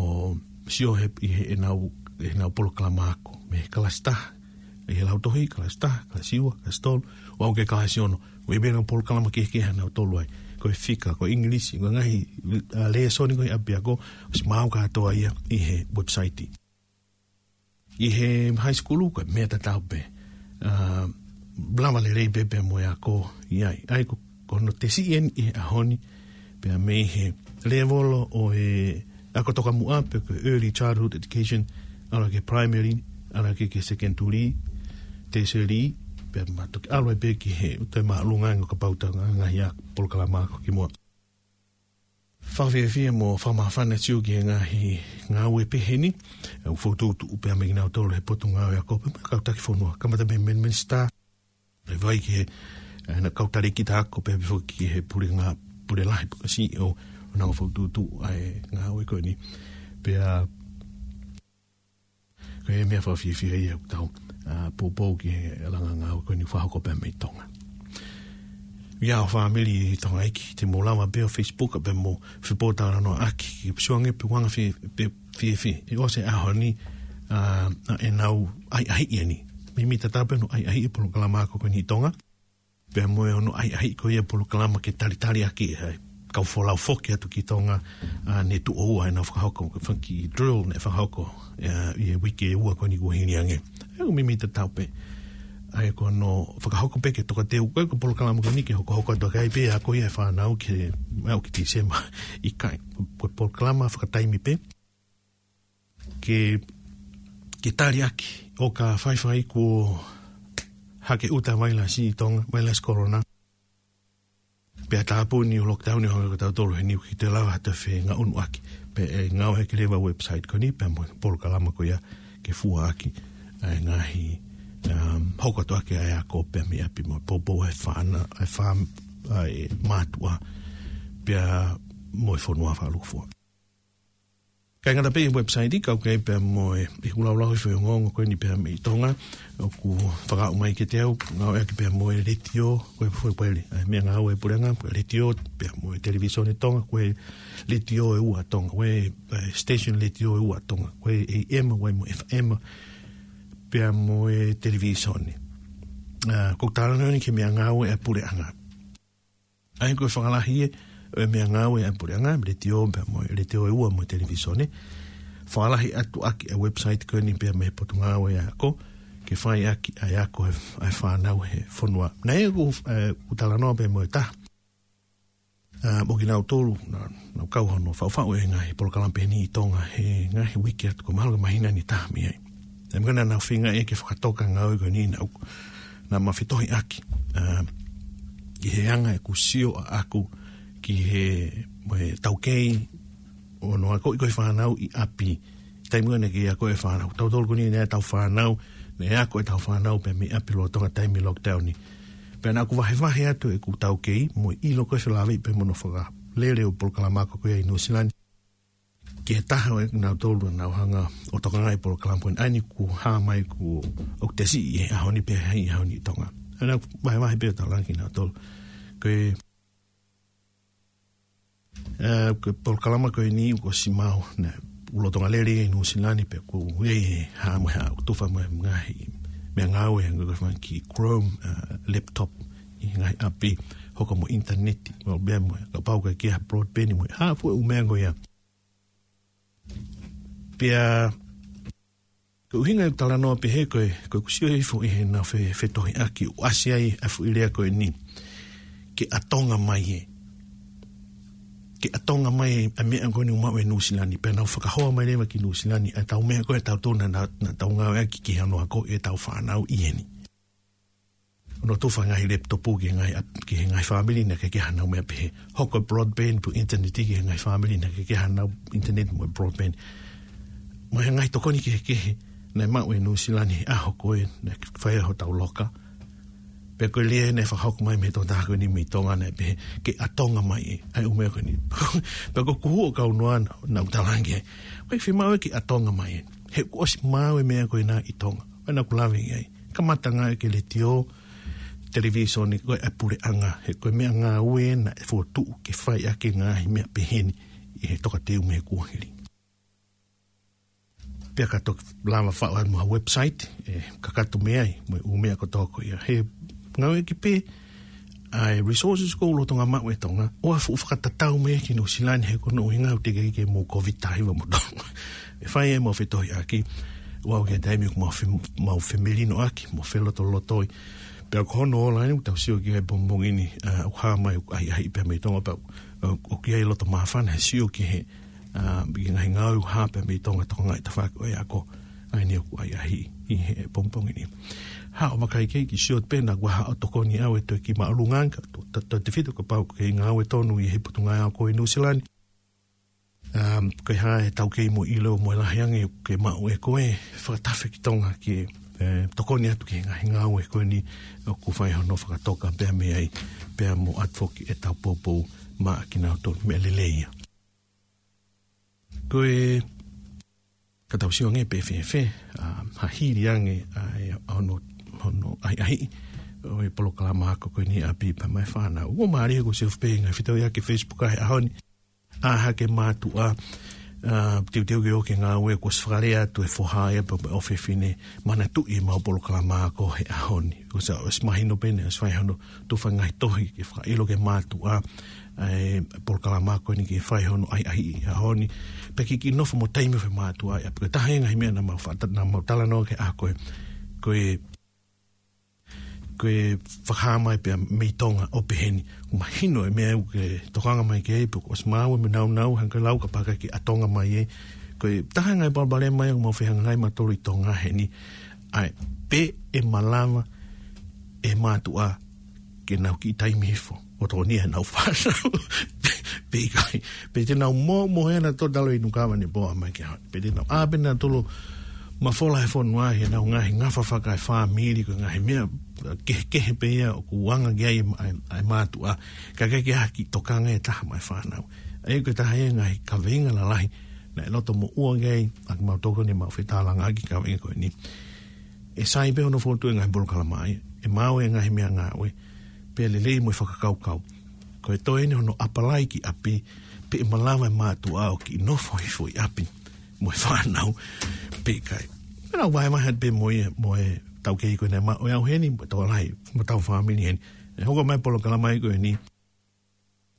sio he, ʻi heʻenau, heʻenau polokalama ako. Mei he kalasi taha, ʻi he lautohi, kalasi taha, kalasi ua, kalasi tolu, ʻo aʻu ki he kalasi ono. ʻOku ʻi ai pē ʻenau polokalama kehekehe ʻanautolu ai. Ko e fika, ko e English, ko e ngaahi, ā, lēsoni ko ē ʻapiako, ʻosi maʻu kātoa ia ʻi he website. ʻI he high school, ko e meʻa tatau pē. Ā, lava lelei pē pea mo e ako ʻi ai. ʻA ia ko, ko hono tesi eni ʻi he ʻaho ni, pea mei he lēvolo ʻo e ako tokamuʻa pe ko e early childhood education, ʻalu ki he primary, ʻalu ki he secondary, tertiary, pea mo e toki ʻalu ai pē ki he toe māʻolunga ange kapau ʻoku tau ngaahi ako, polokalama ako kimuʻa. Fakafiefia mo fakamāfana atu ki he ngaahi ngāue pehē ni, ʻoku fokotuʻutuʻu pē ia mei kinautolu he Potungāue Ako pea mo e kau taki fonua, kamata mei he minisitā, ʻo vai ki he, ē, ʻenau kau talēkita ako pea pehē foki ki he puleʻanga, pule lahi pe ko e C E O, ʻo nau fokotuʻutuʻu ʻa e ngāue ko eni. Pea ko e meʻa fakafiefia ia ʻoku tau, ā, poupou ki he langa ngāue ko eni ʻoku fakahoko pē mei Tonga. ʻIa ʻofa ʻa Meli ʻi Tonga ʻEiki, te mou lava pē ʻo Facebook pea mo fepōtalanoaʻaki, ke sio ange pe ʻoku anga fie, pe fiefia. ʻE ʻosi e ʻaho ni, ā, ʻa ʻenau ʻahiʻahiʻi eni. Mimi tatau pē hono ʻahiʻahiʻi e polokalama ako ko eni ʻi Tonga. Pea mo e hono ʻahiʻahiʻi ko ia e polokalama ke talitali ʻaki ʻa e kau folau foki atu ki Tonga, ā, ne tuʻo ua ʻenau fakahoko, ko e fanga kiʻi drill naʻe fakahoko, ā, ʻi he uike ʻe ua ko eni kuo hili ange. ʻE, ʻoku mimi tatau pē. ʻA ia ko hono fakahoko pē ke tokateu, ko e, ko e polokalama ko eni ke hokohoko atu ʻaki ai pē ʻa e ako ia e fānau ke, ʻalu ki Tīsema ʻikai. Ko e polokalama fakataimi pē. Ke, ke tali ʻaki, ʻo ka faifai kuo hake ʻuta vailasi ʻi Tonga, vailasi kolona. Pea tāpuni ʻo lockdown ʻi Tonga, ko tautolu heni ʻoku ʻikai te lava ha toe fengaʻunu ʻaki. Pea ʻe ngāueʻaki leva e website ko eni, pea mo e polokalama ko ia ke fua ʻaki ʻa e ngaahi, um, hoko atu ʻaki ʻa e ako pē mei ʻapi mo e poupou ʻa e fānau, ʻa e fam-, ʻa e mātuʻa pea mo e fonua fakalūkufua. Kae ngata pē ʻi he website, kau ki ai pea mo e, ʻi he ʻū laulau ʻi he ongoongo ko eni pea mei Tonga, ʻoku fakaʻau mai kiate au, ngāueʻaki pea mo e letiō, ko e foʻi pele, ʻa e meʻangāue ʻa e puleʻanga, ko e letiō, pea mo e televisone Tonga, ko e letiō ʻe ua ʻa Tonga, ko e, ʻa e station letiō ʻe ua ʻa Tonga, ko e A M, ʻa ia mo e F M, pea mo e televisone. ʻA, ko e talanoa eni ki he meʻangāue ʻa e puleʻanga. ʻA ia ko e fakalahi ē ʻo e meʻangāue ʻa e puleʻanga, letiō pea mo e, letiō ʻe ua mo e televisone. Fakalahi atu ʻaki ʻa e website ko eni pea mei he Potungāue ʻa e Ako, ke fai ʻaki ʻa e ako ʻa e, ʻa e fānau he fonua. Naʻe ʻi ai ʻeku, ʻeku talanoa pea mo e taha, ʻa, mo kinautolu, naʻa, naʻa nau kau hono faʻufaʻu e ngaahi polokalama pehē ni ʻi Tonga he ngaahi uike atu, ko e mahalo ko e māhina ʻe taha mei ai. ʻA ia ko ena naʻa nau feinga ʻe ke fakatoka ngāue ko eni naʻa, naʻa ma fetohiʻaki, ʻa, ʻi he anga ʻeku sio ʻaʻaku ki he, mo e taukei ʻo hono akoʻi ko ē fānau ʻi ʻapi. Taimi ko ē naʻe kei ako e fānau. Tautolu ko eni naʻe ʻi ai ʻetau fānau, naʻe ako ʻetau fānau pē mei ʻapi lolotonga taimi lockdown ni. Pea naʻa ku vahevahe atu ʻeku taukei, mo e ʻilo ko ē felāveʻi pea mo hono fakalele ʻo e polokalama ako ko ia ʻi Nuʻu Sila ni, ki he taha ʻo kinautolu naʻa nau hanga ʻo tokangaʻi e polokalama ko eni, ʻa eni kuo hā mai kuo ʻoku te siʻi ʻi he ʻaho ni pea ʻi he ʻaho ni ʻi Tonga. ʻA ia naʻa ku vahevahe pē ʻo talaange kinautolu. Ko e, ʻa, ko e polokalama ko eni kuo ʻosi maʻu, naʻe ʻi ai e lolotonga lele ʻi Nuʻu Sila ni pea kuo ʻi ai e hā mo e hā, ʻoku tufa mo e ngaahi meʻangāue, ngaahi ko e fanga kiʻi Chrome, ʻa, laptop, ʻi he ngaahi ʻapi, hoko mo e ʻinitaneti, mo e meʻa mo e, kapau ʻoku ʻikai ke ʻi ai ha broadband mo e hā fua e ʻū meʻa ko ia. Pea, ko e ʻuhinga ʻeku talanoa pehē ko e, ko ʻeku sio hifo ʻi heʻenau fe-, fetohiʻaki ʻo ʻasi ai ʻa e foʻi lea ko eni, ke ʻatonga mai ē. Ke ʻatonga mai ē, ʻa e meʻa ko eni ʻoku maʻu ʻe Nuʻu Sila ni, pea nau fakahoa mai leva ki Nuʻu Sila ni ʻa ʻetau meʻa ko ē ʻa tautolu naʻa, naʻa, naʻa tau ngāueʻaki ki hono akoʻi ʻetau fānau ʻi heni. ʻO nau tufa e ngaahi laptop ki he ngaahi ʻap-, ki he ngaahi fāmili naʻe ʻikai ke ʻi ai haʻanau meʻa pehē. Hoko e broadband pe ʻinitaneti ki he ngaahi fāmili naʻe ʻikai ke ʻi ai haʻanau ʻinitaneti mo e broadband. Mo e ngaahi tokoni kehekehe naʻe maʻu ʻe Nuʻu Sila ni he ʻaho ko ē naʻe fai ai hotau loka. Pea ko e lea naʻe fakahoko mai mei he tokotaha ko eni mei Tonga naʻe pehē, ke ʻatonga mai ē, ʻa e ʻū meʻa ko eni. Pea ko ʻeku hū ʻo kau noa naʻa, naʻa ku talaange, ʻoku ʻikai fiemaʻu ia ke ʻatonga mai ē. He kuo ʻosi maʻu e meʻa ko ena ʻi Tonga. ʻA ia naʻa ku lave ki ai. Kamata ngāueʻaki e letiō, televisone ko ē ʻa e puleʻanga, he ko e meʻangāue naʻe fokotuʻu ke fai ʻaki e ngaahi meʻa pehē ni ʻi he tokateu mei he kuohili. Pea ka toki lava faʻu atu mo ha website, ʻe kakato mei ai, mo e ʻū meʻa kotoa ko ia. He ngāueʻaki pē ʻa e resources ko ē ʻoku lolotonga maʻu ʻe Tonga, ʻo aʻu ʻo fakatatau mai ki Nuʻu Sila ni he ko hono ʻuhinga ʻoku teʻeki ke mou Covid taha hiva mo Tonga. ʻE fai ai ʻemau fetohiʻaki, ʻo aʻu ki he taimi ʻoku mau fe-, mau femelinoʻaki, mau felotolotoi. Pea ko hono ola eni, ʻoku tau sio ki ai he pongipongi ni, ʻa, ʻoku hā mai ʻoku ʻahiʻahiʻi pē mei Tonga pea, ʻa, ʻoku ʻi ai e loto māfana he sio ki he, ʻa, ki he ngaahi ngāue ʻoku hā pē mei Tonga tokangaʻi tafaʻaki ʻo e ako. ʻA eni ʻoku ʻahiʻahiʻi he pongipongi ni. Haʻu ʻo vakai ki ai, kiʻi sio pē naʻa ku haʻu ʻo tokoni au ʻe toe kiʻi māʻolunga ange, ka to-, to-, tautefito kapau ʻoku ke ngāue tonu ʻi he Potungāue Ako ʻi Nuʻu Sila ni. Um, ko e hā e taukei mo e ʻilo mo e lahi ange ʻoku ke maʻu ʻe koe, fakatafe ki Tonga ke, ʻe, tokoni atu ki he ngaahi ngāue ko eni ʻoku fai hono fakatoka pea mei ai, pea mo ʻatu foki ʻetau poupou maʻa kinautolu, meʻa lelei ia. Ko e, ka tau sio ange pē fēfē, ʻa, ha hili ange, ʻa, ʻa hono, hono ʻahiʻahiʻi ʻo e polokalama ako ko eni ʻi ʻapi pea mo e fānau. ʻOku mālie ko e sio pē ngaahi fetau ia ki he Facebook ʻa e ʻaho ni. ʻA, hake mātuʻa, ʻa, teuteu ke ō ki he ngāue, kuo ʻosi fakalea atu e foha ia pea mo e ʻofefine, manatuʻi ʻemau polokalama ako he ʻaho ni. Kuo ʻosi, ʻosi mahino pē naʻe ʻosi fai hono tufa e ngaahi tohi ke fakaʻilo ki he mātuʻa, ʻa e polokalama ako ni ke fai hono ʻahiʻahiʻi he ʻaho ni. Pea ke kiʻi nofo mo taimi ʻo e mātuʻa ia. Pea ko e taha e ngaahi meʻa naʻa mau fata-, naʻa mau talanoa ki ai ko e, ko e, ko e fakahā mai pē mei Tonga ʻo pehē ni. Mahino e meʻa ʻoku ke tokanga mai ki ai, pea kuo ʻosi maʻu e meʻa naʻa nau hanga lau kapau ʻoku ʻikai ke ʻatonga mai ē. Ko e taha e ngaahi palopalema ia ʻoku mau fehangahangai mautolu ʻi Tonga heni. ʻA e, pe ʻe malava e mātuʻa ke nau kiʻi taimi hifo ʻo tokonia ʻenau fānau. Pe ʻikai, pe te nau mōmohe nautolu ʻo talo ʻi Nuka Vanipoa mai ki he ʻaho ni. Pe te nau ʻā pē nautolu mafola he fonua he nau ngaahi ngafa fakaefāmili, ko e ngaahi meʻa kehekehe pē ia ʻoku anga ki ai e ma-, e, e mātuʻa, ka ʻoku ʻikai ke ʻi ai ha kiʻi tokanga ʻe taha maʻa e fānau. ʻA ia ko e taha ia e ngaahi kaveinga lalahi naʻe loto moʻua ki ai ʻa kimautolu ko eni ʻoku mau fetalanoaʻaki, kaveinga ko eni: ʻE sai pē hono fokotuʻu e ngaahi polokalama ia, ʻe maau e ngaahi meʻangāue, pea lelei mo e fakakaukau, ko e toe eni hono ʻapalai ki ʻapi, pe ʻe malava e mātuʻa ʻo kiʻi nofo hifo ʻi ʻapi mo e fānau pe ʻikai. Pea nau vahevahe atu pē mo ia, mo e taukei ko eni, ma-, ʻo e au heni, mo e tokolahi, mo e tau fāmili heni. ʻE hoko mai e polokalama ia ko eni,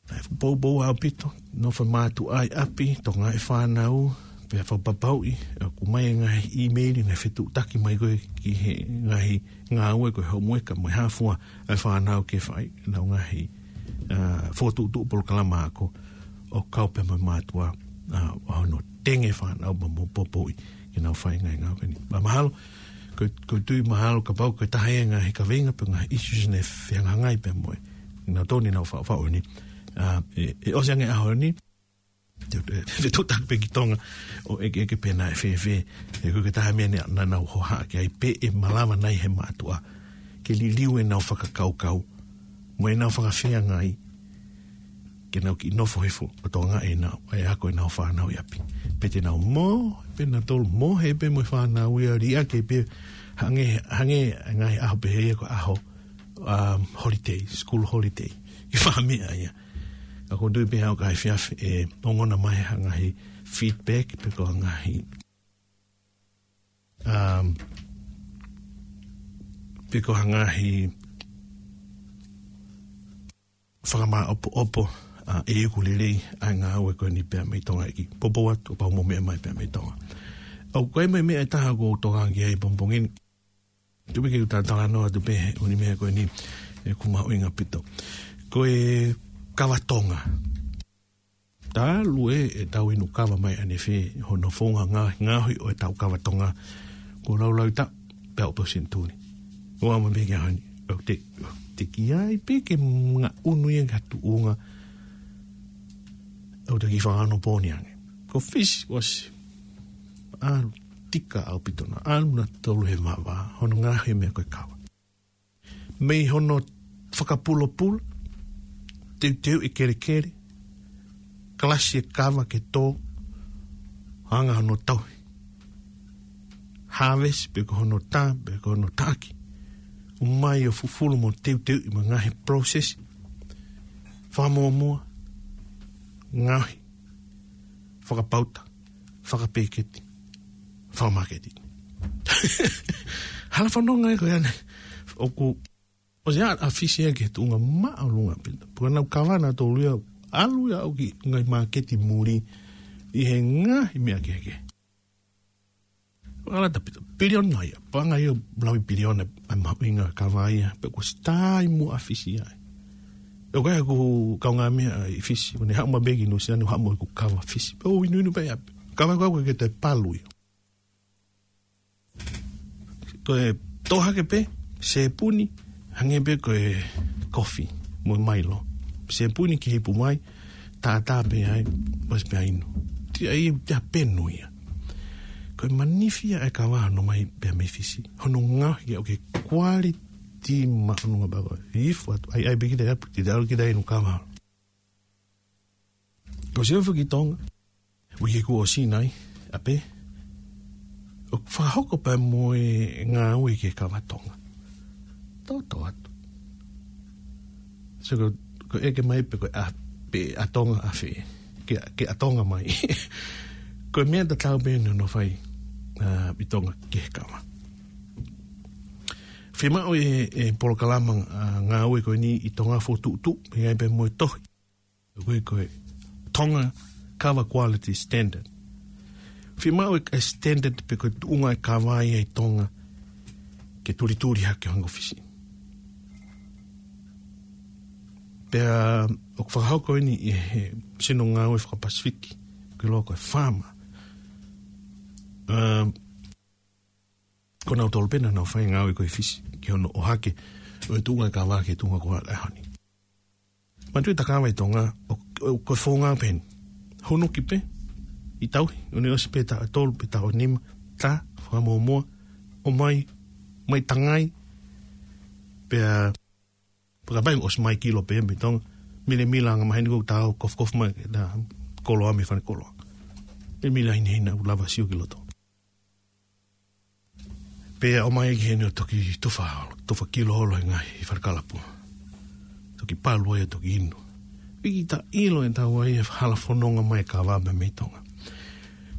ʻe poupou ʻaupito, nofo e mātuʻa ʻi ʻapi, tokangaʻi e fānau, pea fakapapauʻi ʻoku ʻomai e ngaahi ʻīmeili, ngaahi fetuʻutaki mai ko ē ki he ngaahi ngāue ko e homueka mo e hā fua ʻa e fānau ke fai ʻenau ngaahi, ā, fokotuʻutuʻu polokalama ako ʻo kau pē mo e mātuʻa, ā, ʻo hono tenge e fānau mo, mo poupouʻi ke nau fai e ngaahi ngāue ko eni. Pea mahalo, ko, ko e tui mahalo kapau ko e taha ia e ngaahi kaveinga pe ngaahi issues naʻe fehangahangai pea mo e, naʻa tau ʻi ai ʻenau faʻufaʻu ni. Ā, ʻe, ʻe ʻosi ange e ʻaho ni, te, te, te tau taki pē ki Tonga ʻo ʻekeʻeke pe naʻe fēfē. He ko e taha e meʻa naʻa, naʻa nau hohaʻa ki ai, pe ʻe malava nai he mātuʻa ke liliu ʻenau fakakaukau mo ʻenau fakafeangai ke nau kiʻi nofo hifo ʻo tokangaʻi ʻenau, e ako ʻenau fānau ʻi ʻapi. Pe te nau mohe pē nautolu, mohe pē mo e fānau ia, liʻaki pē, hangē, hangē e ngaahi ʻaho pehē ia ko e ʻaho, um, holiday, school holiday, ki he fāmili ia. Ka ʻoku ou tui pē ʻe haʻu ha efiafi ʻe ongona mai ha ngaahi feedback, pe ko ha ngaahi, um, pe ko ha ngaahi fakamāʻopoʻopo, ā, ʻe ʻikai lelei ʻa e ngāue ko eni pea mei Tonga, ʻEiki. Poupou atu kapau ʻoku mou meʻa mai pea mei Tonga. ʻOku ʻi ai mo e meʻa ʻe taha ʻoku ou tokanga ki ai he pongipongi ni. Tuku ke u talatalanoa atu pē he ʻū meʻa ko eni, ʻoku mahuʻinga ʻaupito. Ko e kava Tonga. Talu ē ʻetau inu kava mai ʻanefē, hono founga ngā-, ngaohi ʻo ʻetau kava Tonga, kuo laulahi taʻu pē ʻo e senituli. ʻOua mo e meʻa ki he ʻaho ni. ʻOku te, te ki ai pē ke ngaʻunu ia ki ha tuʻunga ʻoku te kiʻi fakaonopōni ange. Ko Fisi ʻosi ʻalu tika ʻaupito, naʻa ʻalu nautolu he vavā, hono ngaohi e meʻa ko e kava. Mei hono fakapulopula, teuteuʻi e kelekele, kalasi e kava ke tō, anga hono tauhi. Harvest pe ko hono tā, pe ko hono taʻaki. ʻOmai ʻo fufulu mo teuteuʻi mo e ngaahi process. Fakamuʻomuʻa, ngaohi, fakapauta, fakapēketi, fakamaketi. Hala fononga ē ko ia ʻanai. ʻOku, ʻosi ʻa, ʻa Fisi ia ki he tuʻunga māʻolunga ʻaupito. Pea nau kava nautolu ia, ʻalu ia ʻo aʻu ki he ngaahi māketi muli ʻi he ngaahi meʻa kehekehe. Ala tapita, piliona ia, paʻanga ia ʻo e laui piliona ʻa e mahuʻinga e kava ia, pea kuo ʻosi taimi muʻa ʻa Fisi ia. ʻOku ʻi ai ʻeku kaungāmeʻa ʻi Fisi, ʻo ne haʻu mai pē ki Nuʻusila ni, haʻu mo ʻeku kava Fisi. Pea u inuinu pē ia, kava ko ē ʻoku ʻikai ke toe palu ia. Ko e tō hake pē, sēpuni, hangē pē ko e kofi mo e Milo. Sēpuni ki he ipu mai, tātā pē ai, ʻosi pē ʻa e inu. Ti ai, te a penu ia. Ko e manifi ia e kava hono ʻomai pē mei Fisi. Hono ngaohi ia ʻoku quality māʻolunga pē ko ē. Ifu atu, ʻai, ʻai pē kita ia, te te ʻalu kita inu kava. Ko e sio foki ki Tonga, uike kuo ʻosi nai, ʻa pē, ʻoku fakahoko pē mo e ngāue ki he kava Tonga. Toto atu. So ko, ko e ʻeke mai pē ko e ʻa, pe ʻa Tonga ʻafē, ke, ke ʻa Tonga mai. Ko e meʻa tatau pē ʻeni hono fai, ā, ʻi Tonga ki he kava. Fiemaʻu e, e polokalama, ā, ngāue ko eni ʻi Tonga fokotuʻutuʻu, ʻi ai pē mo e tohi. Ko e, ko e Tonga Kava Quality Standard. Fiemaʻu e standard pe ko e tuʻunga e kava ia ʻi Tonga ke tulituli hake hangē ko Fisi. Pea ʻoku fakahoko ʻeni ʻe he sino ngāue faka-Pasifiki, ko e ʻiloa ko e FAMA. Um, ko nautolu pē naʻa nau fai e ngāue ko ē ʻi Fisi, ki hono ʻohake ʻo e tuʻunga e kava ki he tuʻunga ko ē ʻa e ʻaho ni. Manatuʻi e tā kava ʻi Tonga, ʻo, ʻo, ko e founga pē ʻeni. Hunuki pē, ʻi tauhi, ʻo ne ʻosi pē taʻu ʻe tolu pe taʻu ʻe nima, tā, fakamuʻomuʻa, ʻomai, mai tangai, pea, pea kapau ʻosi mai kilo pē mei Tonga, milemila angamaheni ko ʻetau kofukofu mai, ʻetau koloa mei fale koloa. Milemila hinehina ʻoku lava sio ki loto. Pea ʻomai ki heni ʻo toki tufa, tufa kilo holo he ngaahi falekalapu. Toki palu ai ʻo toki inu. Piki ta ilo ʻe tau ai e hala fononga mai e kava pē mei Tonga.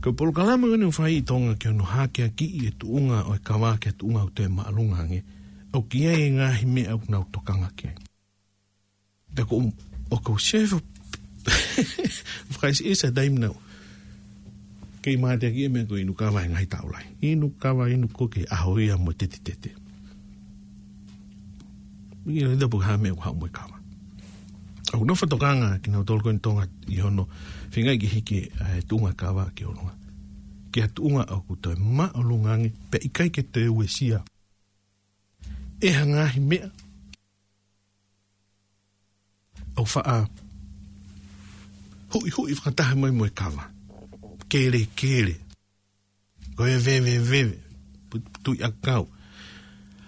Ko e polokalama ko eni ʻoku fai ʻi Tonga ki hono hakeakiʻi e tuʻunga ʻo e kava ki he tuʻunga ʻoku toe māʻolunga ange. ʻOku ʻi ai e ngaahi meʻa ʻoku nau tokanga ki ai. Pea ko, ʻoku ou sefo, fakaʻiseʻese taimi nau. Kei māteakiʻi e meʻa ko e inu kava he ngaahi taʻu lahi. Inu kava, inu koke, ʻaho ia mo e tetitete. ʻIo, ʻi he tapu ha meʻa ʻoku haʻu mo e kava. ʻOku nau fakatokanga kinautolu ko eni Tonga ʻi hono feingaʻi ke hiki e tuʻunga kava ki ʻolunga. Ki ha tuʻunga ʻoku toe māʻolunga ange, pea ʻikai ke toe uesia ʻe ha ngaahi meʻa ʻoku faʻa huʻihuʻi fakataha mai mo e kava. Kelekele. Ko e veveveve. Pu-, tui ʻakau.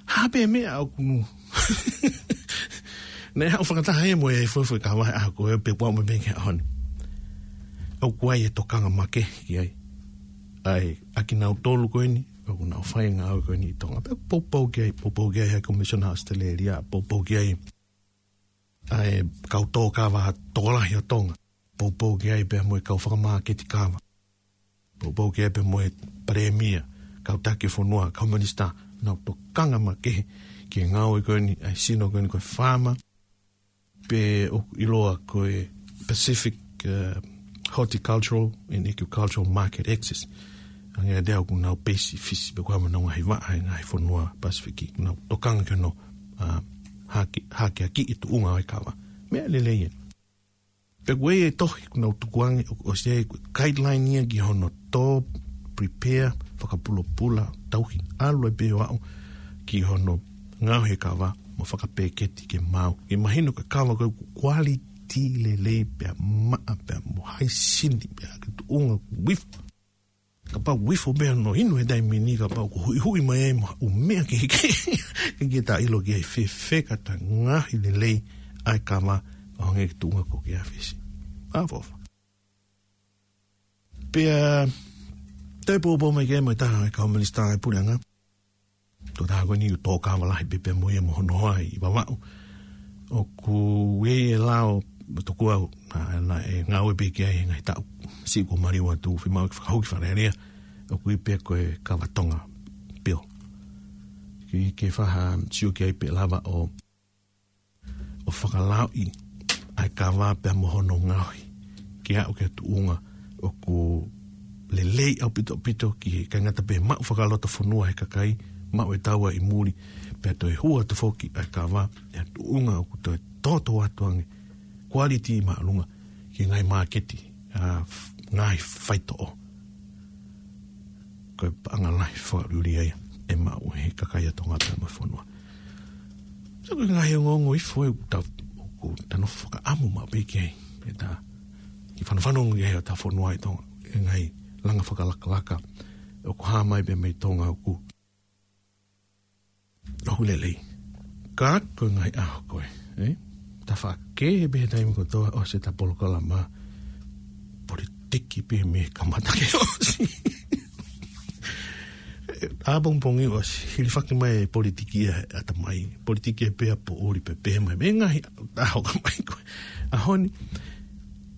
Hā pē meʻa ʻoku nau. Naʻe haʻu fakataha ia mo e fuefue kava he ʻaho ko ē pea kuo aʻu mai pē ki he ʻaho ni. ʻOku ʻi ai e tokanga makehe ki ai. ʻA e, ʻa kinautolu ko eni, ʻoku nau fai e ngāue ko eni ʻi Tonga. Pea poupou ki ai, poupou ki ai ʻa e Komisiona ʻAositelēlia, poupou ki ai ʻa e kau tōkava tokolahi ʻo Tonga. Poupou ki ai pea mo e kau fakamāketi kava. Poupou ki ai pea mo e Palēmia, kau taki fonua, kau minisitā, nau tokanga makehe ki he ngāue ko eni, ʻa e sino ko eni ko e faama, pe ʻoku ʻiloa ko e Pacific, uh, Horticultural and Agricultural Market Access. Ange ʻa e ʻoku nau peisi Fisi, pe ko e hā mo e ngaahi vaʻa he ngaahi fonua Pasifiki, nau tokanga ki hono, uh, hake, hakeakiʻi e tuʻunga ʻo e kava. Meʻa lelei ē. Pea ko e tohi ʻoku nau tukuange ʻo, ʻosi ʻi ai ko e guideline ia ki hono tō, prepare, fakapulopula, tauhi, ʻalu ai pē ʻo aʻu ki hono ngaohi e kava mo fakapēketi ke maau. Ke mahino ko e kava ko e quality lelei pea maʻa pea mo haisini pea ke tuʻunga ʻoku ifo. Kapau ʻoku ifo pē hono inu he taimi ni, kapau ʻoku huʻihuʻi mai ai mo haʻu meʻa ke, ke, ke, ke ta ilo ki ai fēfē ka ta ngaohi lelei ʻa e kava ʻo hangē ko e tuʻunga ko ē ʻa Fisi. ʻAfiofa. Pea, toe poupou mai ki ai mo e taha e kau minisitā ʻo e puleʻanga. Tokotaha ko eni ʻoku tōkava lahi pē pea mo ia mo hono hoa ʻi Vavaʻu. ʻOku ʻi ai e lao, tokua, naʻa, naʻe ngāue pē ki ai he ngaahi taʻu siʻi kuo maliu atu, fiemaʻu ke fakahoko ki Fale Alea. ʻOku ui pē ko e Kava Tonga Bill. Ke, ke faʻa sio ki ai pe lava ʻo ʻo fakalaoʻi ʻa e kava pea mo hono ngaohi ke aʻu ki ha tuʻunga ʻoku lelei ʻaupito ʻaupito ki he, ʻikai ngata pē maʻu fakalotofonua he kakai, maʻu e taua ʻi muli, pea toe hū atu foki ʻa e kava ʻi ha tuʻunga ʻoku toe toto atu ange, quality māʻolunga ki he ngaahi māketi, ʻa, f-, ngaahi faitoʻo. Ko e paʻanga lahi fakaʻuliʻuli ia ʻe maʻu ʻe he kakai ʻa Tonga pea mo e fonua. So ko e ngaahi ongoongo ifo ē ʻoku ta, ʻoku ta nofo fakaʻamu maʻu pē ki ai. ʻE ta kiʻi fanofano ki ai ʻo ta fonua ʻi Tonga. E ngaahi langa fakalakalaka ʻoku hā mai pē mei Tonga ʻoku ʻoku lelei. Ka ko e ngaahi ʻaho ko ē, ē? Tafaʻaki pē he taimi kotoa ʻosi ʻeta polokalama politiki pē mei he kamata ke ʻosi. ʻApongipongi ʻosi, hilifaki mai e politiki ia he ʻatamai. Politiki ē pea poʻuli pē pehē mai. Mei he ngaahi ʻaho ka mai ko ē. ʻAho ni,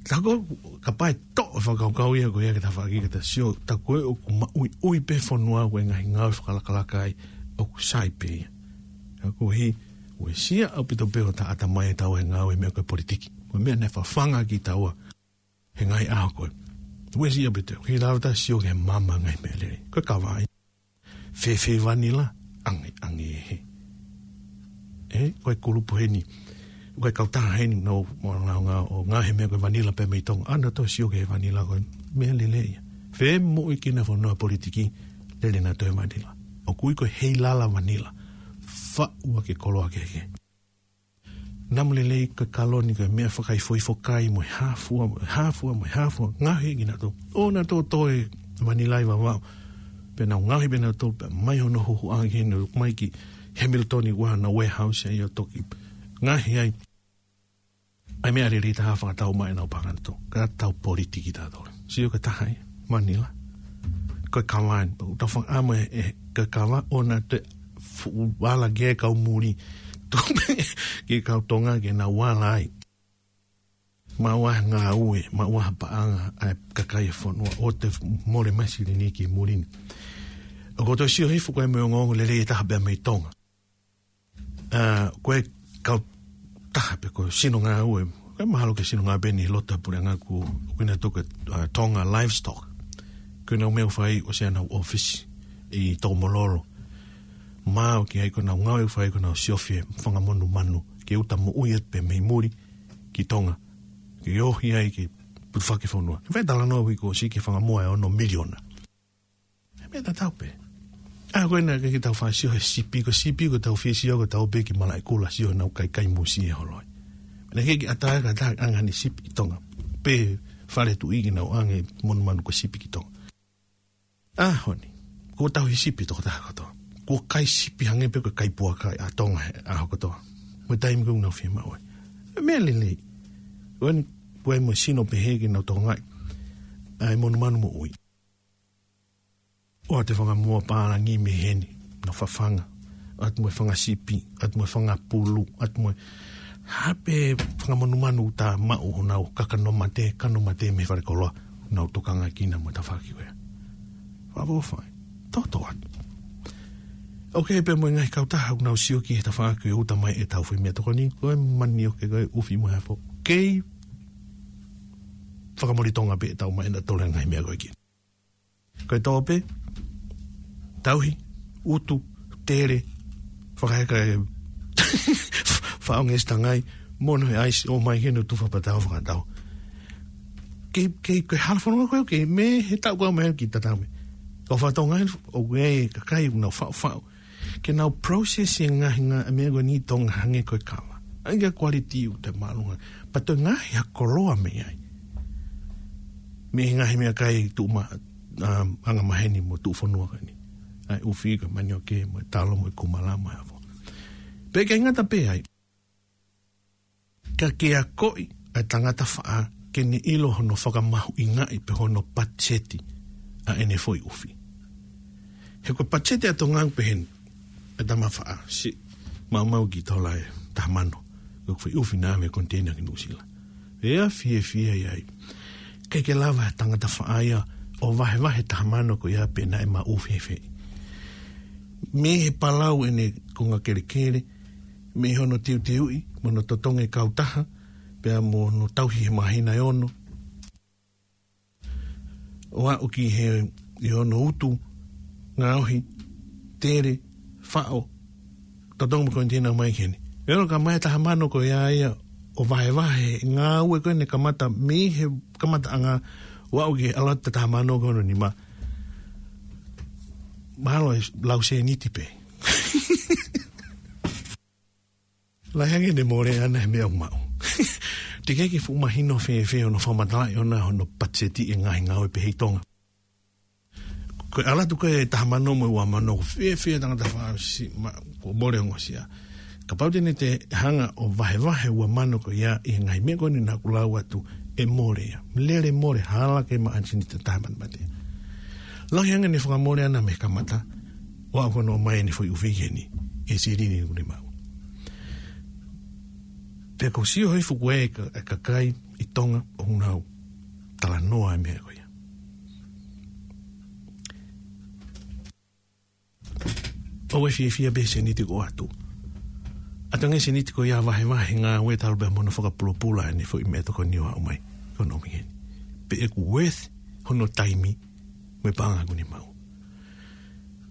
tā ko e kapau ʻe toʻo e fakakaukau ia ko ia ke tafaʻaki ke ta sio, tā ko ē ʻoku maʻuiʻui pē fonua ko e ngaahi ngāue fakalakalaka ai ʻoku sai pē ia. Ka ko e hā, uesia ʻaupito pē ʻo ta ʻatamai ʻe taua he ngāue meʻa ko e politiki. Ko e meʻa naʻe fafanga kitaua he ngaahi ʻaho ko ē. Uesia ʻaupito, ʻikai lava ta sio ki he maama ngaahi meʻa lelei. Ko e kava ia. Fēfē vanila, ange, ange he. Ē, ko e kulupu heni, ko e kautaha heni, nau, nau, nau, nau, ʻo ngaohi e meʻa ko e vanila pē mei Tonga, ʻa naʻa tau sio ki he vanila ko e meʻa lelei ia. Fē moʻui kinafonua politiki, lele naʻa toe vanila. ʻOku ui ko e heilala vanila. Faʻu ʻaki e koloa kehekehe. Namu lelei ko e kaloni ko e meʻa fakaifoifo kai mo e hā fua, mo e hā fua, mo e hā fua, ngaohi kinautolu. ʻO naʻa tō toe vanila ʻi Vavaʻu. Pea nau ngaohi pē nautolu pē mai hono huhuʻa ki heni, mai ki Hamilton ʻi ʻuha na warehouse ai ʻo toki ngaohi ai ʻa e meʻa lelei taha fakatau mai ʻenau paʻanga nautolu. Ka tau politiki tautolu. Sio ki he taha ʻi Manila. Ko e kava eni, pau tau fakaʻamu ē, ē, ko e kava ʻoku na te fuʻu ala ke kau muli. Tupe ke kau Tonga ke nau ala ai. Maʻu ha ngāue, maʻu ha paʻanga ʻa e kakai e fonua ʻo te mole mai silini ki muli ni. ʻOku ou toe sio hifo ko e meʻa ongoongo lelei ʻe taha pē mei Tonga. ʻA, ko e kau taha pē ko e sino ngāue, ko e mahalo ko e sino ngāue pē ʻi loto he puleʻanga ko ē ʻoku ʻi ai e toko, ʻa, Tonga Livestock. Ko ʻenau meʻa ʻoku fai ʻosi ʻenau ʻōfisi ʻi Tokomololo. Maʻu ki ai ko ʻenau ngāue ʻoku fai ko ʻenau siofi e fanga monumanu ke uta moʻui atu pē mei muli ki Tonga. Ke ohi ai ke putufaki fonua. Ke fai talanoa ʻi he kuo ʻosi ke fanga moa ʻe ono miliona. He meʻa tatau pē. ʻA, ko ena ke, ke tau fai sio he sipi, ko e sipi, ko ʻetau fie sio, ko ʻetau pē ki Malaʻekula sio ʻenau kaikai musie holo ai. Naʻe ʻikai ke ʻatā ka ʻatā ʻa e anga ʻene sipi ʻi Tonga. Pe fale tuʻi ke nau ʻange monumanu ko e sipi ki Tonga. ʻAho ni, kuo tauhi sipi tokotaha kotoa. Kuo kai sipi hangē pē ko e kai puaka ʻa Tonga he ʻaho kotoa. Mo e taimi ko ē ʻoku nau fiemaʻu ai. Meʻa lelei. Ko eni, ko e mo e sino pehē ke nau Tonga ai. ʻA e monumanu moʻui. ʻOatu e fanga moa pālangi mei heni, nau fafanga. ʻOatu mo e fanga sipi, ʻoatu mo e fanga pulu, ʻoatu mo e hā pē fanga monumanu ʻoku ta maʻu honau kakano mate, kano mate mei falekoloa, nau tokanga ki ai mo e tafaʻaki ko ia. Fakaʻofoʻofa. Toto atu. ʻOku ʻi ai pē mo e ngaahi kautaha ʻoku nau sio ki he tafaʻaki ʻoku uta mai ʻetau foʻi meʻatokoni, ko e manioke, ko e ʻufi mo e hā fua. Kei fakamole Tonga pē ʻetau mai ʻenau tole ngaahi meʻa ko ē ki ai. Ko e tope, tauhi, utu, tele, fakaheka e faʻonga ʻe siʻi tangai, mono he ʻaisi, ʻomai ke ne tufa patau fakatau. Kei, kei, ko e hala fononga ko ē, kei mei he taʻu ko ē mai ki tatau mai. Ko fakatonga ʻoku ʻi ai e kakai ʻoku nau faʻufaʻu ke nau process e ngaahi ngā-, meʻa ko eni ʻi Tonga hangē ko e kava. ʻAi ke quality ʻoku te mālunga. Pea toe ngaahi ha koloa mei ai. Mei he ngaahi meʻakai tuʻu ma-, um, anga maheni mo tuʻu fonua ko eni. ʻAi ʻufi ko e manioke mo e talo mo e kumala mo e hā fua. Pea ʻikai ngata pē ai. Ka ke akoʻi ʻa e tangata faʻa ke ne ʻilo hono fakamahuʻingaʻi pe hono patiseti ʻa ʻene foʻi ʻufi. He ko e patiseti ʻa Tonga ʻoku pehē ni, ʻa e tama faʻa, siʻi maumau ki tola ʻe taha mano, ko e foʻi ʻufi naʻe ʻave koniteina ki Nuʻusila. ʻE fiefia ia ai. ʻIkai ke lava he tangata faʻa ia ʻo vahevahe taha mano ko ia pe naʻe maʻu fēfē. Mei he palau ʻene konga kelekele, mei hono teuteuʻi, mo hono totongi e kautaha, pea mo hono tauhi he māhina ʻe ono. ʻO aʻu ki he ʻi hono utu, ngaohi, tele, faʻo, totongi mo e koniteina mai ki heni. ʻE ono ka mai taha mano ko ia ia, ʻo vahevahe, ngāue ko ē ne kamata, mei he kamataʻanga, ʻo aʻu ki he ʻalu atu taha mano ko hono nima. Mahalo ʻe lau sēniti pē. Lahi ange ʻene mole ʻana he meʻa ʻoku maʻu. Teʻeki ke fuʻu mahino fēfē hono fakamatalaʻi ʻona hono patiseti e ngaahi ngāue pehē ʻi Tonga. Ko e ʻalu atu ko ē taha mano mo e ua mano, ko e fēfē tangata faʻa siʻi ma-, kuo mole ongosia. Kapau te ne toe hanga ʻo vahevahe ua mano ko ia ʻi he ngaahi meʻa ko eni naʻa ku lau atu ʻe mole ia. Lele mole hala ke maʻu ha sēniti ʻe taha mano mate. Lahi ange ʻene fakamole ʻana mei he kamata, ʻo aʻu ko hono ʻomai ʻene foʻi ʻufi ki heni, ʻe silini ʻoku ne maʻu. Pea ʻoku ou sio hifo ko e ka-, e kakai ʻi Tonga ʻoku nau talanoa e meʻa ko ia. ʻOua ʻe fiefia pē he sēniti ʻoku ʻoatu. ʻAtu ange sēniti ko ia vahevahe ngāue talu pē mo hono fakapulopula ʻene foʻi meʻatokoni ʻo aʻu mai. Ko hono ʻomi heni. Pe ʻoku worth hono taimi mo e paʻanga ʻoku ne maʻu.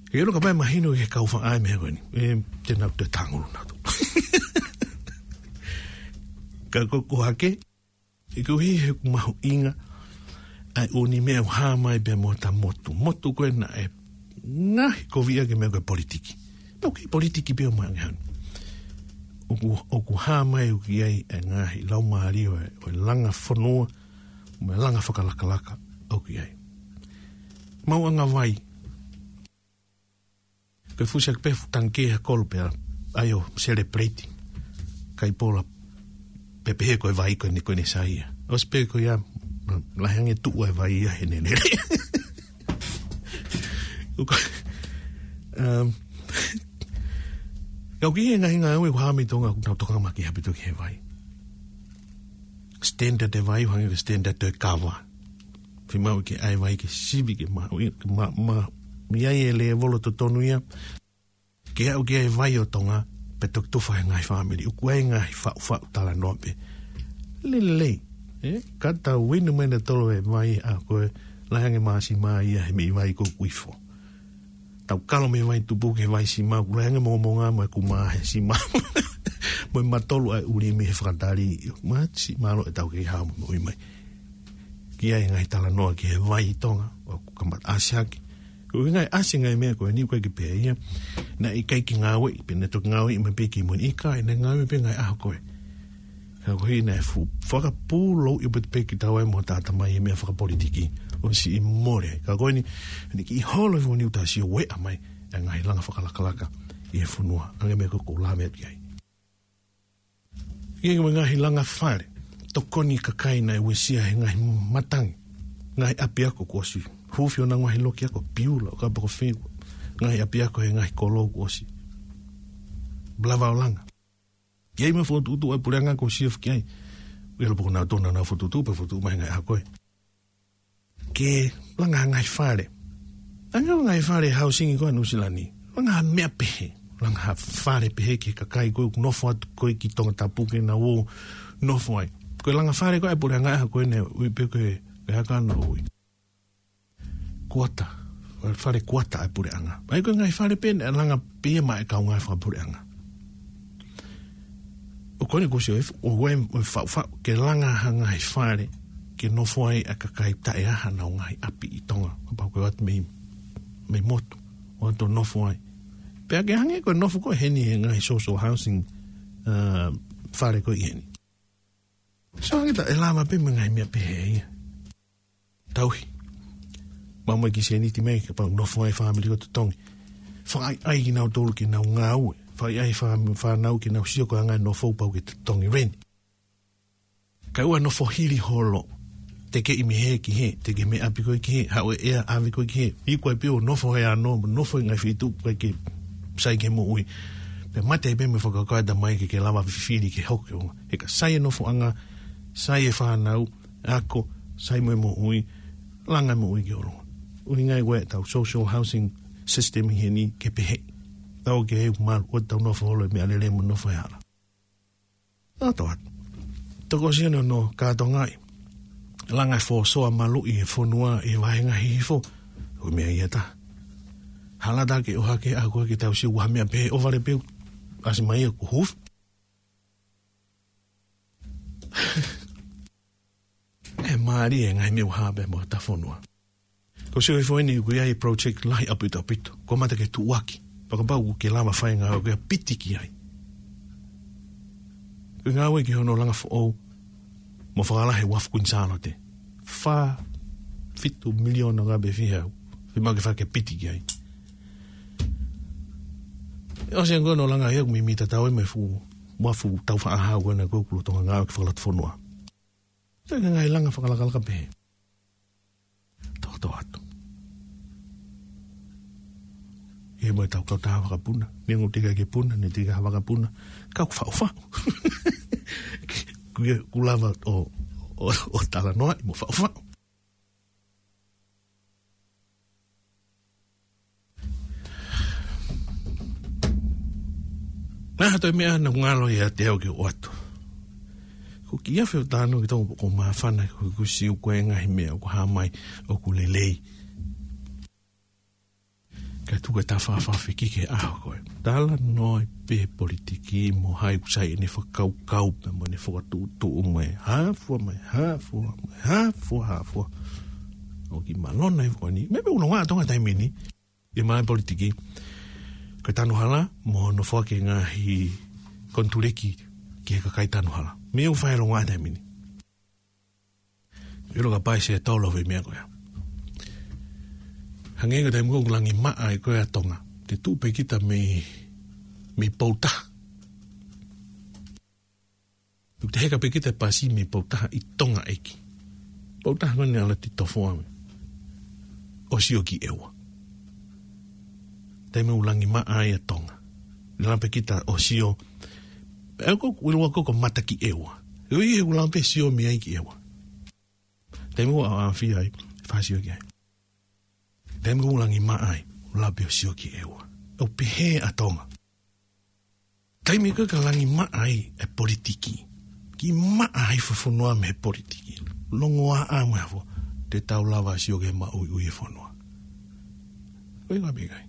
Ke ʻilo kapau ʻe mahino ki he kau faʻa e meʻa ko eni. ʻE, te nau toe tangulu nautolu. Ka ko, ko hake, ʻoku ʻi he mahuʻinga ʻa e ʻū meʻa ʻoku hā mai pea mo ʻeta motu. Motu ko ē naʻe ngaohi kovi ʻaki e meʻa ko e politiki. Pau kei politiki pē ʻo mai ange hanu. ʻOku, ʻoku hā mai ʻoku ʻi ai e ngaahi laumālie ʻo e, ʻo e langa fonua, mo e langa fakalakalaka ʻoku ʻi ai. Maʻuʻanga vai, Ko e fusi ʻaki pē fuʻu tangikē ha kolo pea ʻai ʻo celebrate. Kai pola pē pehē ko e vai ko eni ko eni sai ia. ʻOsi pē ko ia, lahi ange tuʻu e vai ia he nene. Uka, um, kau ki he ngaahi ngāue ʻoku hā mai Tonga ʻoku nau tokanga makehe ʻaupito ki he vai. Standard e vai, ʻo hangē ko e standard e kava. Fiemaʻu ke ʻai vai ke sivi ke ma, ke ma, ma, ʻi ai e lēvolo totonu ia. Ke aʻu ki ai e vai ʻo Tonga, pea toki tufa he ngaahi fāmili. ʻOku ʻi ai e ngaahi faʻufaʻu talanoa pē. Lelei, ē? Ka tau inu mai ʻa e tolo e vai ʻa ko e lahi ange māsima ia he meʻi vai ko ʻoku ifo. Tau kalo mei he vai tupu ki he vai sima, ʻoku lahi ange mongamonga mo e kuma he sima. Mo e matolu ʻa e ʻuli mei he fakatali. Māsi, mālō e tau kei hao mo ui mai. Ki ai e ngaahi talanoa ki he vai ʻi Tonga, ʻoku kamata ʻasi hake. Ko e ngaahi ʻasi e ngaahi meʻa ko eni ʻoku ʻikai ke pehē ia. Naʻe ʻikai ke ngāueʻi, pea naʻe toki ngāueʻi mai pē ki mui ʻikai, naʻe ngāueʻi pē ngaahi ʻaho ko ē. Ka ko e hā naʻe fu-, fakapūlouʻi ʻaupito pē kitaua mo e tangata mai he meʻa fakapolitiki. ʻOsi ʻi mole. Ka ko eni, ʻene kiʻi holo e fuʻu niu tā sio ueʻa mai, e ngaahi langa fakalakalaka ʻi he fonua. Ange meʻa ko ʻoku lave atu ki ai. Ki he ngaahi langa fale, tokoni kakai naʻe uesia he ngaahi matangi, ngaahi ʻapiako kuo ʻosi. Hufi ʻo nau ngaahi loki ako piula, ʻo kapau ko fē, ngaahi ʻapiako he ngaahi kolo kuo ʻosi. Lava ʻo langa. Ki ai mo e fokotuʻutuʻu ʻa e puleʻanga kuo ʻosi ʻofi ki ai. ʻIlo pē ko nautolu naʻa nau fokotuʻutuʻu, pea fokotuʻu mai ngaahi ʻaho ko ē. Ke langa ha ngaahi fale. Langa ha ngaahi fale housing ko ē ʻa Nuʻusila ni. Langa ha meʻa pehē. Langa ha fale pehē ki he kakai ko ē ʻoku nofo atu ko ē ki Tongatapu ke nau ō ʻo nofo ai. Ko e langa fale ko ē ʻa e puleʻanga ʻa ko ē naʻe ui pē ko e, ko e hā ka naʻe ui. Kuata. Fale kuata ʻa e puleʻanga. ʻAi ko e ngaahi fale pē naʻe langa pē ia maʻa e kaungā fakapuleʻanga. ʻO ko eni kuo ʻosi ʻofi, ʻo ue, ʻo faʻufaʻu, ke langa ha ngaahi fale, ke nofo ai ʻa e kakai taʻe ʻi ai hanau ngaahi ʻapi ʻi Tonga, kapau ko e ō atu mei, mei motu, ʻo ō atu ʻo nofo ai. Pea ke hangē ko e nofo ko ē heni he ngaahi social housing, uh, fale ko ē ʻi heni. So hangē tā ʻe lava pē mo e ngaahi meʻa pehē ia. Tauhi. Maʻu mai e kiʻi sēniti mai, kapau nofo ai e fāmili ko ē ʻo totongi. Fakaʻaiʻai kinautolu ke nau ngāue. Fakaʻaiʻai fā-, fānau ke nau sio ko e anga e nofo pau ke totongi rent. Kae ʻoua nofo hili holo. Tekeʻi mei hē ki hē, tekeʻi mei ʻapi ko ē ki hē, haʻu e ʻea ʻave ko ē ki hē. Iku ai pē ʻo nofo he ano, nofo he ngaahi feituʻu ʻoku ʻikai ke sai ki he moʻui. Pea mate ai pē mo e fakakaukau ʻa e tamai ke, ke lava fifili ke hoko. He ka sai e nofoʻanga, sai e fānau, ako, sai mo e moʻui, langa e moʻui ki ʻolunga. ʻUhinga ia ko ē ʻetau social housing system ʻi heni ke pehē. Tau ke he malu, ʻo tau nofo holo he meʻalele mo nofo he hala. Tau ō atu. Tokosiʻi hono kātoangaʻi. Langa e fōsoa maluʻi e fonua ʻi he vahenga hihifo. Ko e meʻa ia tā. Hala tā ke ʻohake ʻa ko ē ke tau sio ua meʻa pē ʻo vale pē ʻasi mai ia ko hufi. ʻE mālie e ngaahi meʻa ʻoku hā pē mo ta fonua. Ko e sio hifo eni ʻoku ʻi ai e project lahi ʻaupito ʻaupito. Kuo mata ke tuʻuaki. Pea kapau ʻoku ke lava fai e ngāue ʻoku ke piti ki ai. Ko e ngāue ki hono langa foʻou. Mo fakalahi e uafu Kuini Sālote. Fā, fitu miliona ngā pē fihau. Fiemaʻu ke fai ke piti ki ai. ʻOsi ange ko ē hono langa ia ʻoku mimi tatau ai mo e fuʻu uafu tau faʻahau ko ena ko ē ʻoku lolotonga ngāue ki he fakalotofonua. Te ke ngaahi langa fakalakalaka pē. Tō, tō atu. ʻI he mo e tau kau tā vakapuna. Ni ngu tika ke puna, ni tika ha vakapuna. Kau faʻufaʻu. Ku, ku lava ʻo, ʻo, ʻo talanoaʻi mo faʻufaʻu. Naʻa toe meʻa naʻa ngalo ia te au ke ʻoatu. Ko e kiʻi afe ʻo tano ki tongo ko māfana ko e kusi ʻoku ʻi ai e ngaahi meʻa ʻoku hā mai ʻoku lelei. Ka tuku e tafaʻafa fiki ki he ʻaho ko ē. Talanoa pē politiki mo hai ʻoku sai ʻene fakakaukau pē mo ʻene fakatuʻutuʻu mo e hā fua mo e hā fua mo e hā fua hā fua. ʻOku mālō ʻa e fua ni. Meʻa pē ʻoku nonga ʻa Tonga taimi ni. ʻI he māmani politiki. Ko e tanu hala, mo hono foaki e ngaahi konituleki ki he kakai tanu hala. Meʻa ʻoku fai ʻi Tonga taimi ni. ʻIlo ka pai se tolo fai meʻa ko ia. Hangē ko e taimi ko ē ʻoku langi maʻa ai ko ē ʻa Tonga. Te tuʻu pē kita mei, mei Poutaha. Te heka pē kita pasi mei Poutaha ʻi Tonga ʻEiki. Poutaha ko eni ʻa Lati Tofoa mei. ʻO sio ki ʻEua. Taimi ʻoku langi maʻa ai ʻa Tonga. Lava pē kita ʻo sio. ʻE ko, ʻoku ʻiloa ko ko mata ki ʻEua. ʻOku ʻi he ʻoku lava pē sio mei ai ki ʻEua. Taimi ʻoku ʻaʻafia ai, fai sio ki ai. Taimi ʻoku langi maʻa ai, ʻoku lava pē ʻo sio ki ʻEua. ʻOku pehē ʻa Tonga. Taimi ko ē ka langi maʻa ai ʻa e politiki. Kiʻi maʻa ai fo-, fonua mei he politiki. Longoaʻa mo e hā fua. Te tau lava sio ki he maʻuiʻui ʻa e fonua. Ko e ngaahi meʻa ʻikai.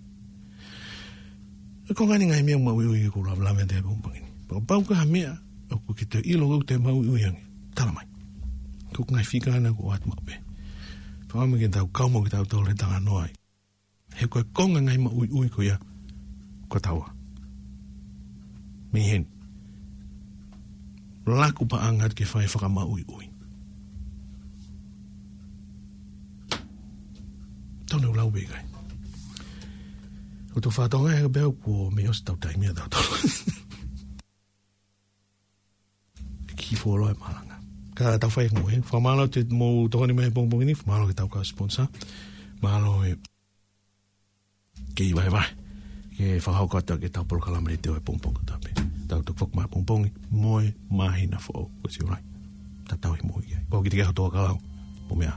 ʻE ko e ngaahi meʻa maʻuiʻui ʻoku lava lave atu he pongipongi ni. Pea kapau ko ha meʻa, ʻoku ke toe ʻilo ʻoku te maʻuiʻui ange. Tala mai. Ko e ngaahi fika ʻana ʻoku ʻoatu maʻu pē. Pea ʻomi ke tau kau mo ke tau tau le tanganoa ai. He ko e konga ngaahi maʻuiʻui ko ia. Ko taua. Mei heni. Laku paʻanga atu ke fai fakamaʻuiʻui. Tonu lau pē ʻikai. ʻOku tau fakatonga he pea kuo mei ʻosi tau taimi ʻa tau tau. Ki folo e malanga. Ka tau fai mo e. Fakamālō te mo tokoni mai pongipongi ni. Fakamālō ke tau ka sponsor. Mālō e. Kei vaevae. Ke fakahoko atu ke tau polokalama le teo e pongipongi tape. Tau toki foki mai pongipongi. Mo e māhina foʻou. Ko si ulai. Tatau i mo ia. Ko ki te ke hotoa kalau. Mo mea.